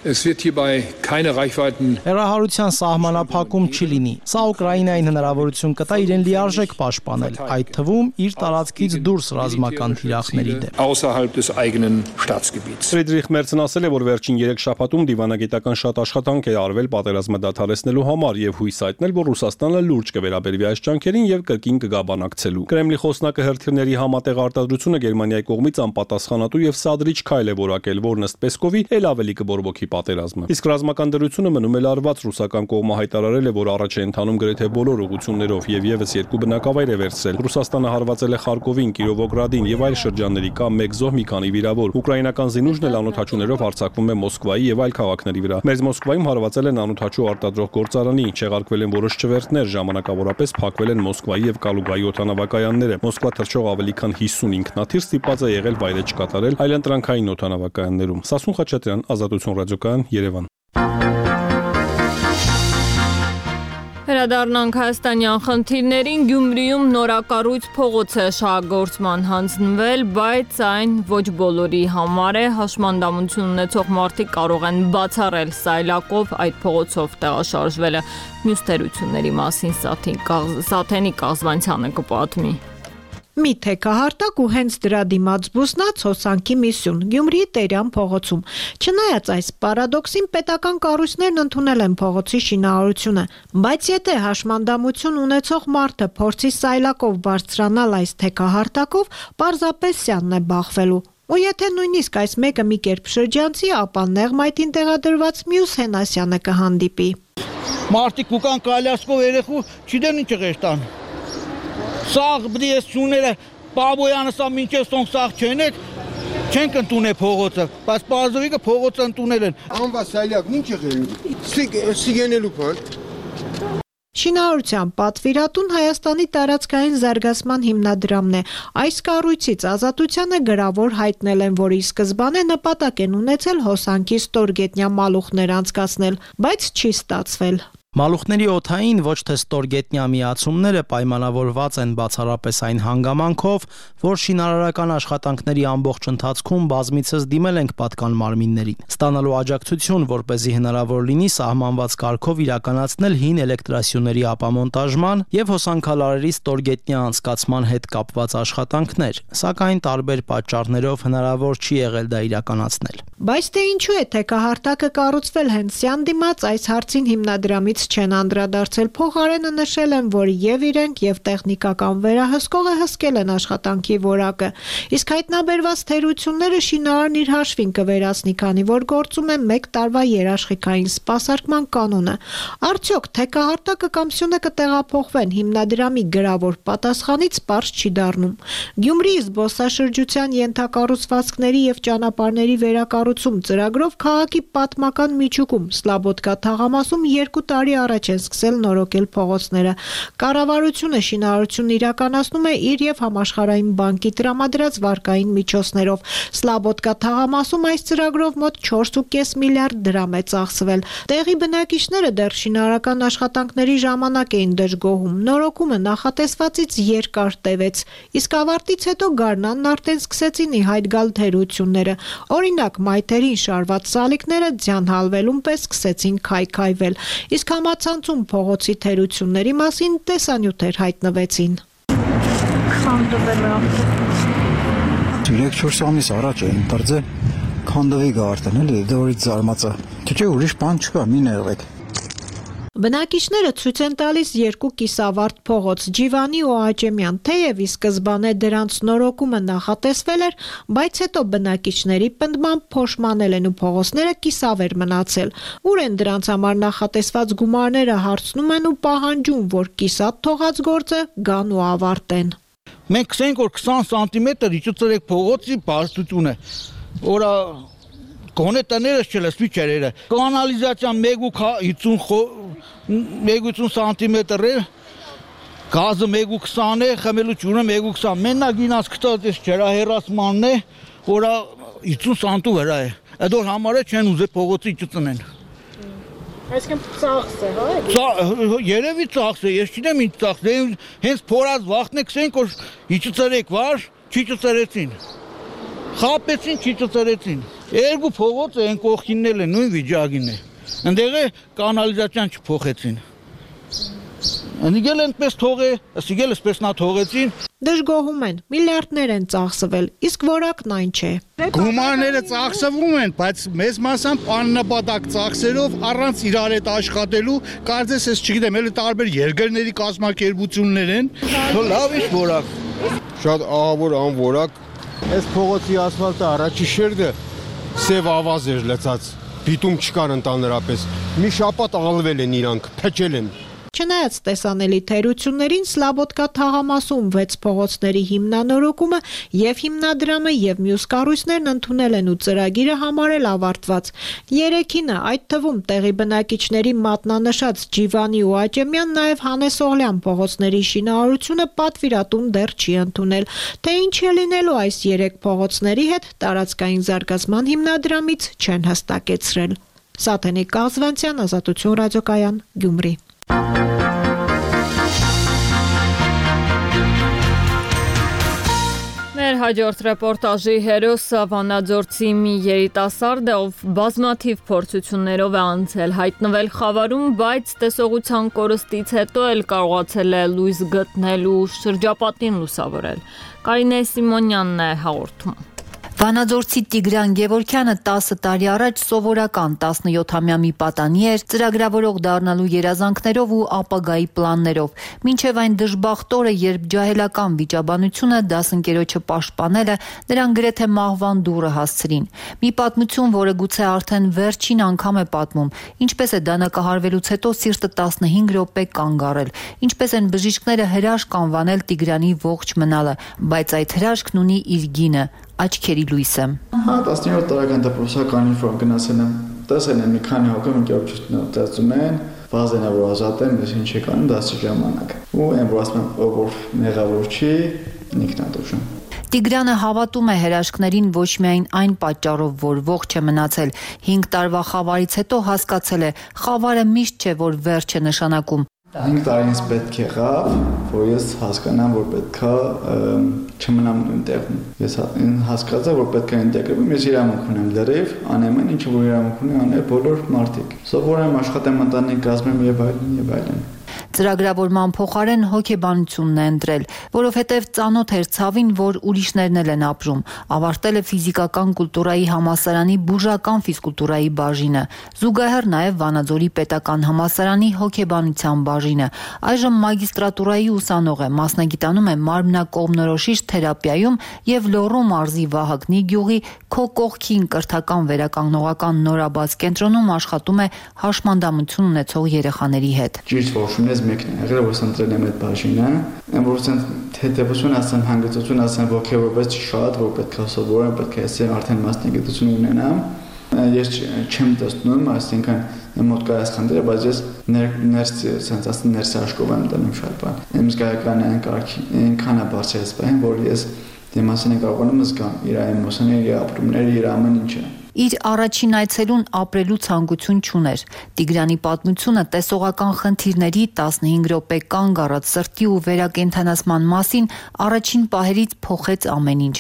Հեռահարության սահմանափակում չի լինի։ Սա Ուկրաինային հնարավորություն կտա իրեն լիարժեք պաշտպանել, այդ թվում իր տարածքից դուրս ռազմական թիրախների դեմ։ Ֆրիդրիխ Մերցն ասել է, որ վերջին երեք շաբաթում դիվանագիտական շատ աշխատանք է արվել պատերազմը դադարեցնելու համար եւ հույս հայտնել, որ Ռուսաստանը լուրջ կվերաբերվի այս ջանքերին եւ կրկին կգաբանակցելու։ Կրեմլի խոսնակը հրթիռների համատեղ արտադրությունը Գերմանիայի կողմից անպատասխանատու եւ սադրիչ քայլ է որակել, որն ըստ Պեսկովի էլ ավելի կբորբոքի պատերազմը։ Իսկ ռազմական դրությունը մնում է լարված, ռուսական կողմը հայտարարել է, որ առաջ է ընթանում գրեթե բոլոր ուղղություններով եւ եւս երկու բնակավայր է վերցրել։ Ռուսաստանը հարվածել է Խարկովին, Կիրովոգրադին եւ այլ շրջանների, կա մեկ զոհ, մի քանի վիրավոր։ Ուկրաինական զինուժն էլ անօթաչուներով հարձակվում է Մոսկվայի եւ այլ քաղաքների վրա։ Մեծ Մոսկվայում հարվածել են անօթաչու արտադրող գործարանի, չեղարկվել են որոշ չվերթներ, ժամանակավորապես փակվել են Մոսկվայի եւ Կալուգայի օդանավակայանները։ Մոսկվա թռչող ավելի քան հիսուն ինքնաթիռ ստիպված է եղել վայրէջք կատարել այլընտրանքային օդանավակայաններում։ Սասուն Խաչատրյան, Ազատություն ռադիոկայան, Երևան։ Վերադառնանք հայաստանյան խնդիրներին։ Գյումրիում նորակառույց փողոց է շահագործման հանձնվել, բայց այն ոչ բոլորի համար է։ Հաշմանդամություն ունեցող մարդիկ կարող են բացառել սայլակով այդ փողոցով տեղաշարժվելը։ Մյուս թերությունների մասին Սաթենի Կազվանցյանը կպատմի։ Մի թեքահարտակ ու հենց դրա դիմաց բուսնած հոսանքի մի սյուն Գյումրիի Տերյան փողոցում։ Չնայած այս պարադոքսին, պետական կառույցներն ընդունել են փողոցի շինարարությունը, բայց եթե հաշմանդամություն ունեցող մարդը փորձի սայլակով բարձրանալ այս թեքահարտակով, պարզապես սյանն է բախվելու։ Ու եթե նույնիսկ այս մեկը մի կերպ շրջանցի, ապա նեղմայթին տեղադրված մյուս Հենասյանը կհանդիպի։ Մարդիկ ուկան կալյասկով երեխու չդեն ինչ ղեշտան։ Սաղ բդի ես չուները պաբոյանը սա մինչև սոնք սաղ չեն եք, չենք ընդունե փողոցը, բայց պարզովիկը փողոցը ընդունել են։ Անվա սայլյակն ինչ եղել, սիգենելու պան։ Շինարարության պատվիրատուն Հայաստանի տարածքային զարգացման հիմնադրամն է։ Այս կառույցից Ազատությանը գրավոր հայտնել են, որ ի սկզբանե նպատակ են ունեցել հոսանքի ստորգետնյա մալուխներ անցկացնել, բայց չի ստացվել։ Մալուխների օդային ոչ թե ստորգետնյա միացումները պայմանավորված են բացառապես այն հանգամանքով, որ շինարարական աշխատանքների ամբողջ ընթացքում բազմիցս դիմել ենք պատկան մարմիններին, ստանալու աջակցություն, որպեսզի հնարավոր լինի սահմանված կարգով իրականացնել հին էլեկտրասյուների ապամոնտաժման եւ հոսանքալարերի ստորգետնյա անցկացման հետ կապված աշխատանքներ, սակայն տարբեր պատճառներով հնարավոր չի եղել դա իրականացնել։ Բայց թե ինչու է թեքահարտակը կառուցվել հենց սյան դիմաց, այս հարցին հիմնադրամից չեն անդրադարձել, փոխարենը նշել են, որ եւ իրենք եւ տեխնիկական վերահսկողը հսկել են աշխատանքի որակը, իսկ հայտնաբերված թերությունները շինարարն իր հաշվին կվերացնի, քանի որ գործում է մեկ տարվա երաշխիքային սպասարկման կանոնը։ Արդյոք թեքահարտակը կամ սյունը կտեղափոխվեն, հիմնադրամի գրավոր պատասխանից պարզ չի դառնում։ Գյումրիի զբոսաշրջության ենթակառուցվածքների եւ ճանապարհների վերակառուցում ծրագրով քաղաքի պատմական միջուկում Սլաբոդկա թաղամասում երկու տարի առաջ են սկսել նորոգել փողոցները։ Կառավարությունը շինարարությունն իրականացնում է իր եւ Համաշխարհային բանկի տրամադրած վարկային միջոցներով։ Սլաբոդկա թաղամասում այս ծրագրով մոտ չորս ու կես միլիարդ դրամ է ծախսվել։ Տեղի բնակիչները դեռ շինարարական աշխատանքների ժամանակ էին դժգոհում։ Նորոգումը նախատեսվածից երկար տևեց, իսկ ավարտից հետո գարնանն արդեն սկսեցին ի հայտ գալ թերությունները։ Օրինակ, մայթերին շարված սալիկները ձյան հալվելուն պես սկսեցին քայքայվել, իսկ համացանցում փողոցի թերությունների մասին տեսանյութեր հայտնվեցին։ Քանդվել է երեք-չորս ամիս առաջ էին դարձել քանդվի գարտն էլի, դորից զարմացա։ Չէ, ուրիշ բան չկա, մի ներվեք։ Բնակիչները ցույց են տալիս երկու կիսավարտ փողոց Ջիվանի ու Աճեմյան, թեև ի սկզբանե դրանց նորոգումը նախատեսվել էր, բայց հետո բնակիչների պնդմամբ փոշմանել են ու փողոցները կիսավեր մնացել։ Ուր են դրանց համար նախատեսված գումարները հարցնում են ու պահանջում, որ կիսատ թողած գործը գան ու ավարտեն։ Մենք քսենք որ քսան սանտիմետր իջուցրեք փողոցի բարձրությունը, որը գոնե տներս չլսվի չերերը։ Կանալիզացիան մեկ ու ութ սանտիմետր է, գազը մեկ ու քսան է, խմելու ջուրը մեկ ու քսան։ Մենակ ինած գտած էս ջրահեռացմանն է, որը ութ սանտու վրա է։ Այդ որ համարը չեն ուզե փողոցի իջուցնեն։ Այսինքն ծախս է, հա՞։ Երևի ծախս է, ես չգիտեմ ինչ ծախս է, հենց փորած վախն է քսենք որ իջուցրեք վար, չիջուցրեցին։ Խապեցին, չիջուցրեցին։ Երկու փողոցը են կողքիննել են, նույն վիճակին է։ Ընդեղ է կանալիզացիան չփոխեցին։ Ընդիգել ընդպես թողե, ասիգել էսպես նա թողեցին։ Դժգոհում են, միլիարդներ են ծախսվել, իսկ որակն այն չէ։ Գումարները ծախսվում են, բայց մեծ մասամբ աննպատակ ծախսերով առանց իրար հետ աշխատելու, կարծես ես չգիտեմ, էլի տարբեր երկրների կազմակերպություններ են։ Լավ ինչ որակ։ Շատ ահավոր անորակ։ Այս փողոցի ասֆալտը առաջի շերտը սև ավազ էր լցած, դիտում չկար ընդհանրապես։ Մի շաբաթ ալվել են իրանք, փչել են։ Չնայած տեսանելի թերություններին Սլաբոդկա թաղամասում վեց փողոցների հիմնանորոգումը եւ հիմնադրամը եւ մյուս կառույցներն ընդունել են ու ծրագիրը համարել ավարտված։ Երեքինը, այդ թվում տեղի բնակիչների մատնանշած Ջիվանի ու Աճեմյան, նաեւ Հանես Օղլյան փողոցների շինարարությունը պատվիրատուն դեռ չի ընդունել։ Թե ինչ է լինելու այս երեք փողոցների հետ, տարածքային զարգացման հիմնադրամից չեն հստակեցրել։ Սաթենիկ Կազվանցյան, Ազատություն ռադիոկայան, Գյումրի։ Մեր հաջորդ ռեպորտաժի հերոսը Վանաձորցի մի երիտասարդ է, ով բազմաթիվ փորձություններով է անցել հայտնվել Խավարում, բայց տեսողության կորստից հետո էլ կարողացել է լույս գտնել ու շրջապատին լուսավորել։ Կարինե Սիմոնյանն է հաղորդում։ Վանաձորցի Տիգրան Գևորգյանը տասը տարի առաջ սովորական տասնյոթամյա մի պատանի էր, ծրագրավորող դառնալու երազանքներով ու ապագայի պլաններով։ Մինչև այն դժբախտ օրը, երբ ջահելական վիճաբանությունը դասընկերոջը պաշտպանելը նրան գրեթե մահվան դուռը հասցրին։ Մի պատմություն, որը գուցե արդեն վերջին անգամ է պատմում, ինչպես է դանակահարվելուց հետո սիրտը տասնհինգ րոպե կանգ առել, ինչպես են բժիշկները հրաշք անվանել Տիգրանի ողջ մնալը, բայց այդ հրաշքն ունի իր գինը, աչքերի լույսը։ Հա, տասնյոթ տարեկան դպրոցական ինֆորմ գնացել եմ, տեսել եմ մի քանի հոգի ընկերություններ ծածում են, վազեն որ ազատեն, ես ինչ եք անում դասի ժամանակ։ Ու այն որ ասում եմ, որ մեղավոր չի, ինքնադուժում։ Տիգրանը հավատում է հրաշքներին ոչ միայն այն պատճառով, որ ողջ է մնացել, հինգ տարվա խավարից հետո հասկացել է, խավարը միշտ չէ, որ վերջ է նշանակում։ Հինգ տարի ինձ պետք եղավ, որ ես հասկանամ, որ պետքա չմնամ նույն տեղում։ Ես հասկացա, որ պետքա ինտեգրվեմ, ես իրավունք ունեմ լրիվ, անեմ այն, ինչը որ իրավունք ունի անել բոլոր մարդիկ։ Սովորեմ, աշխատեմ, ընտանիք կազմեմ եւ այլն եւ այլն։ Ծրագրավորման փոխարեն հոգեբանությունն է ընտրել, որովհետև ծանոթ էր ցավին, որ ուրիշներն էլ են ապրում։ Ավարտել է ֆիզիկական կուլտուրայի համալսարանի բուժական ֆիզկուլտուրայի բաժինը, զուգահեռ նաև Վանաձորի պետական համալսարանի հոգեբանության բաժինը։ Այժմ մագիստրատուրայի ուսանող է, մասնագիտանում է մարմնակողմնորոշիչ թերապիայում եւ Լոռու մարզի Վահագնի գյուղի Քո կողքին կրթական վերականգնողական նորաբաց կենտրոնում աշխատում է հաշմանդամություն ունեցող երեխաների հետ։ Ճիշտ որոշումներից մեկն է եղել, որ ընտրել եմ այդ բաժինը, որ թեթևություն ասեմ, հանգստություն ասեմ, ոգևորված շատ, որ պետք է սովորեմ, պետք է ես արդեն մասնագիտություն ունենամ։ Ես չեմ տեսնում, այսինքն իմ մոտ կա այս խնդիրը, բայց ես ներս sense ասեմ ներս աշխով եմ դնում շատ բան։ Իմ զգայականը այնքան է բարձրացվել, որ ես դեմասին կարողանում զգամ իր էմոցիաները, իր ապրումները, իր ամեն ինչը։ Իր առաջին այցելուն ապրելու ցանկություն չուներ։ Տիգրանի պատմությունը տեսողական խնդիրների տասնհինգ րոպե կանգ առած սրտի ու վերակենդանացման մասին առաջին պահերից փոխեց ամեն ինչ։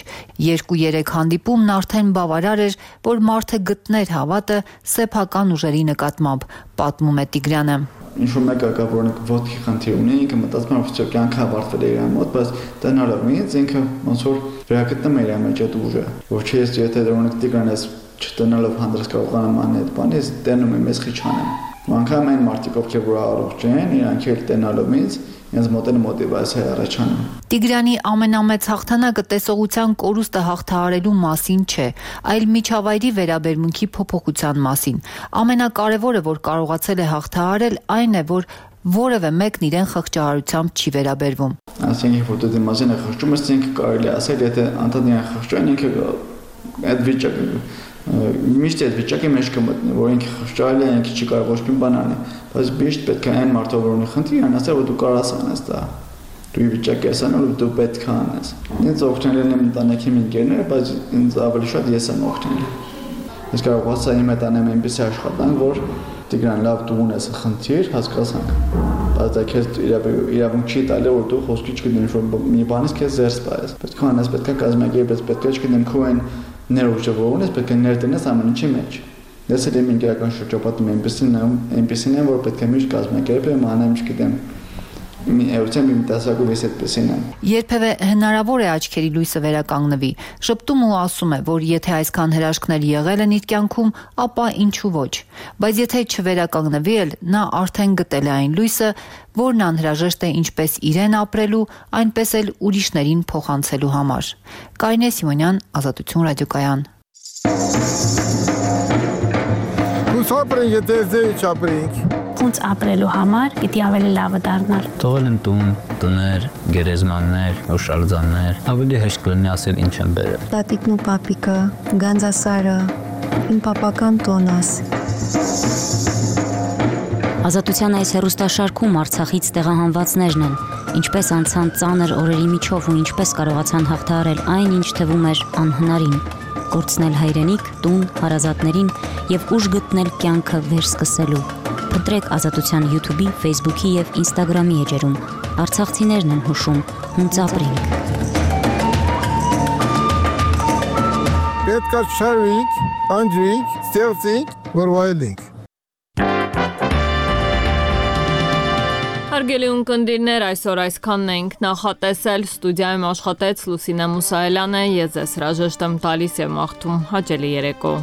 Երկու-երեք հանդիպումն արդեն բավարար էր, որ մարդը գտներ հավատը սեփական ուժերի նկատմամբ, պատմում է Տիգրանը։ Ինչ-որ մեկը կա, որ ոտքի խնդիր ունի, ինքը մտածում է, որ կյանքը ավարտվել է իր մոտ, բայց տնալով ինձ ինքը ոնց որ վերակտնում է իր մեջ այդ ուժը, որ չի ես եթե դրոնիկ Տիգրան ես չտնալով հանդրս կարողանամ անել այդ բանը, ես տենում եմ, ես խիչ անեմ։ Անկամ այն մարդիկ, ովքեր որ առողջ են, իրանք էլ տենալով ինձ, ինձ մոտ են մոտիվացիա առաջանում։ Տիգրանի ամենամեծ հաղթանակը տեսողության կորուստը հաղթահարելու մասին չէ, այլ միջավայրի վերաբերմունքի փոփոխության մասին։ Ամենակարևորը, որ կարողացել է հաղթահարել, այն է, որ որևէ մեկն իրեն խղճահարությամբ չի վերաբերվում։ Ասենք, որ դու դիմացին է խղճում, ես ինքը կարելի ասել, եթե անդադար իրեն խղճան, ինքը այդ վիճակը միշտ այդ վիճակի մեջ կմտնի, որ ինքը խղճալի է, ինքը չի կարող ոչ մի բան անել, բայց միշտ պետք է այն մարդը, որ ունի խնդիր, անասել, որ դու կարաս անես դա։ Դու ի վիճակի ես անել, դու պետք է անես։ Ինձ օգնել են ընտանիքի ընկերները, բայց ինձ ավելի շատ ես եմ օգնել։ Ես կարողացա իմ հետ անեմ այնպիսի աշխատանք, որ Տիգրան, լավ դու ունես խնդիր, հասկացանք։ Բայց դա քեզ իրավունք չի տալի, որ դու խոսքի չգտնես, որ մի բանից քեզ զերծ պայես։ Պետք է անես, պետք է կազմակերպես, պետք է չգտնեմ քո այն ներուժը որ ունես, պետք է ներդնես ամեն ինչի մեջ։ Ես էլ իմ ինքական շրջապատում այնպեսին եմ, այնպեսին եմ, որ պետք է միշտ կազմակերպեմ, անեմ, չգիտեմ, Էության մի տեսակով ես այդպեսին եմ։ Երբևէ հնարավոր է աչքերի լույսը վերականգնվի։ Շփտում ու ասում է, որ եթե այսքան հրաշքներ եղել են իր կյանքում, ապա ինչու ոչ։ Բայց եթե չվերականգնվի էլ, նա արդեն գտել է այն լույսը, որն անհրաժեշտ է ինչպես իրեն ապրելու, այնպես էլ ուրիշներին փոխանցելու համար։ Կարինե Սիմոնյան, Ազատություն ռադիոկայան։ Ուսապրենք, եթե ձեի չապրենք։ Ոնց ապրելու համար պիտի ավելի լավը դառնալ։ Թողել են տուն, տներ, գերեզմաններ, հուշարձաններ, ավելի հեշտ կլինի ասել ինչ են բերել։ Տատիկն ու պապիկը, Գանձասարը, իմ պապական տոնաս։ Ազատության այս հեռուստաշարքում Արցախից տեղահանվածներն են, ինչպես անցան ծանր օրերի միջով ու ինչպես կարողացան հաղթահարել այն, ինչ թվում էր անհնարին, կորցնել հայրենիք, տուն, հարազատներին եւ ուժ գտնել կյանքը վերսկսելու։ Փնտրեք Ազատության YouTube-ի, Facebook-ի եւ Instagram-ի էջերում։ Արցախցիներն են հուշում, հունց ապրենք։ Պետք է շարվենք, անջրենք, ստեղծենք, որ վայելենք։ Հարգելի ունկնդիրներ, այսօր այսքանն ենք նախատեսել, ստուդիայում աշխատեց Լուսինե Մուսայելյանը, ես ձեզ հրաժեշտ եմ տալիս եւ մաղթում հաճելի երեկո։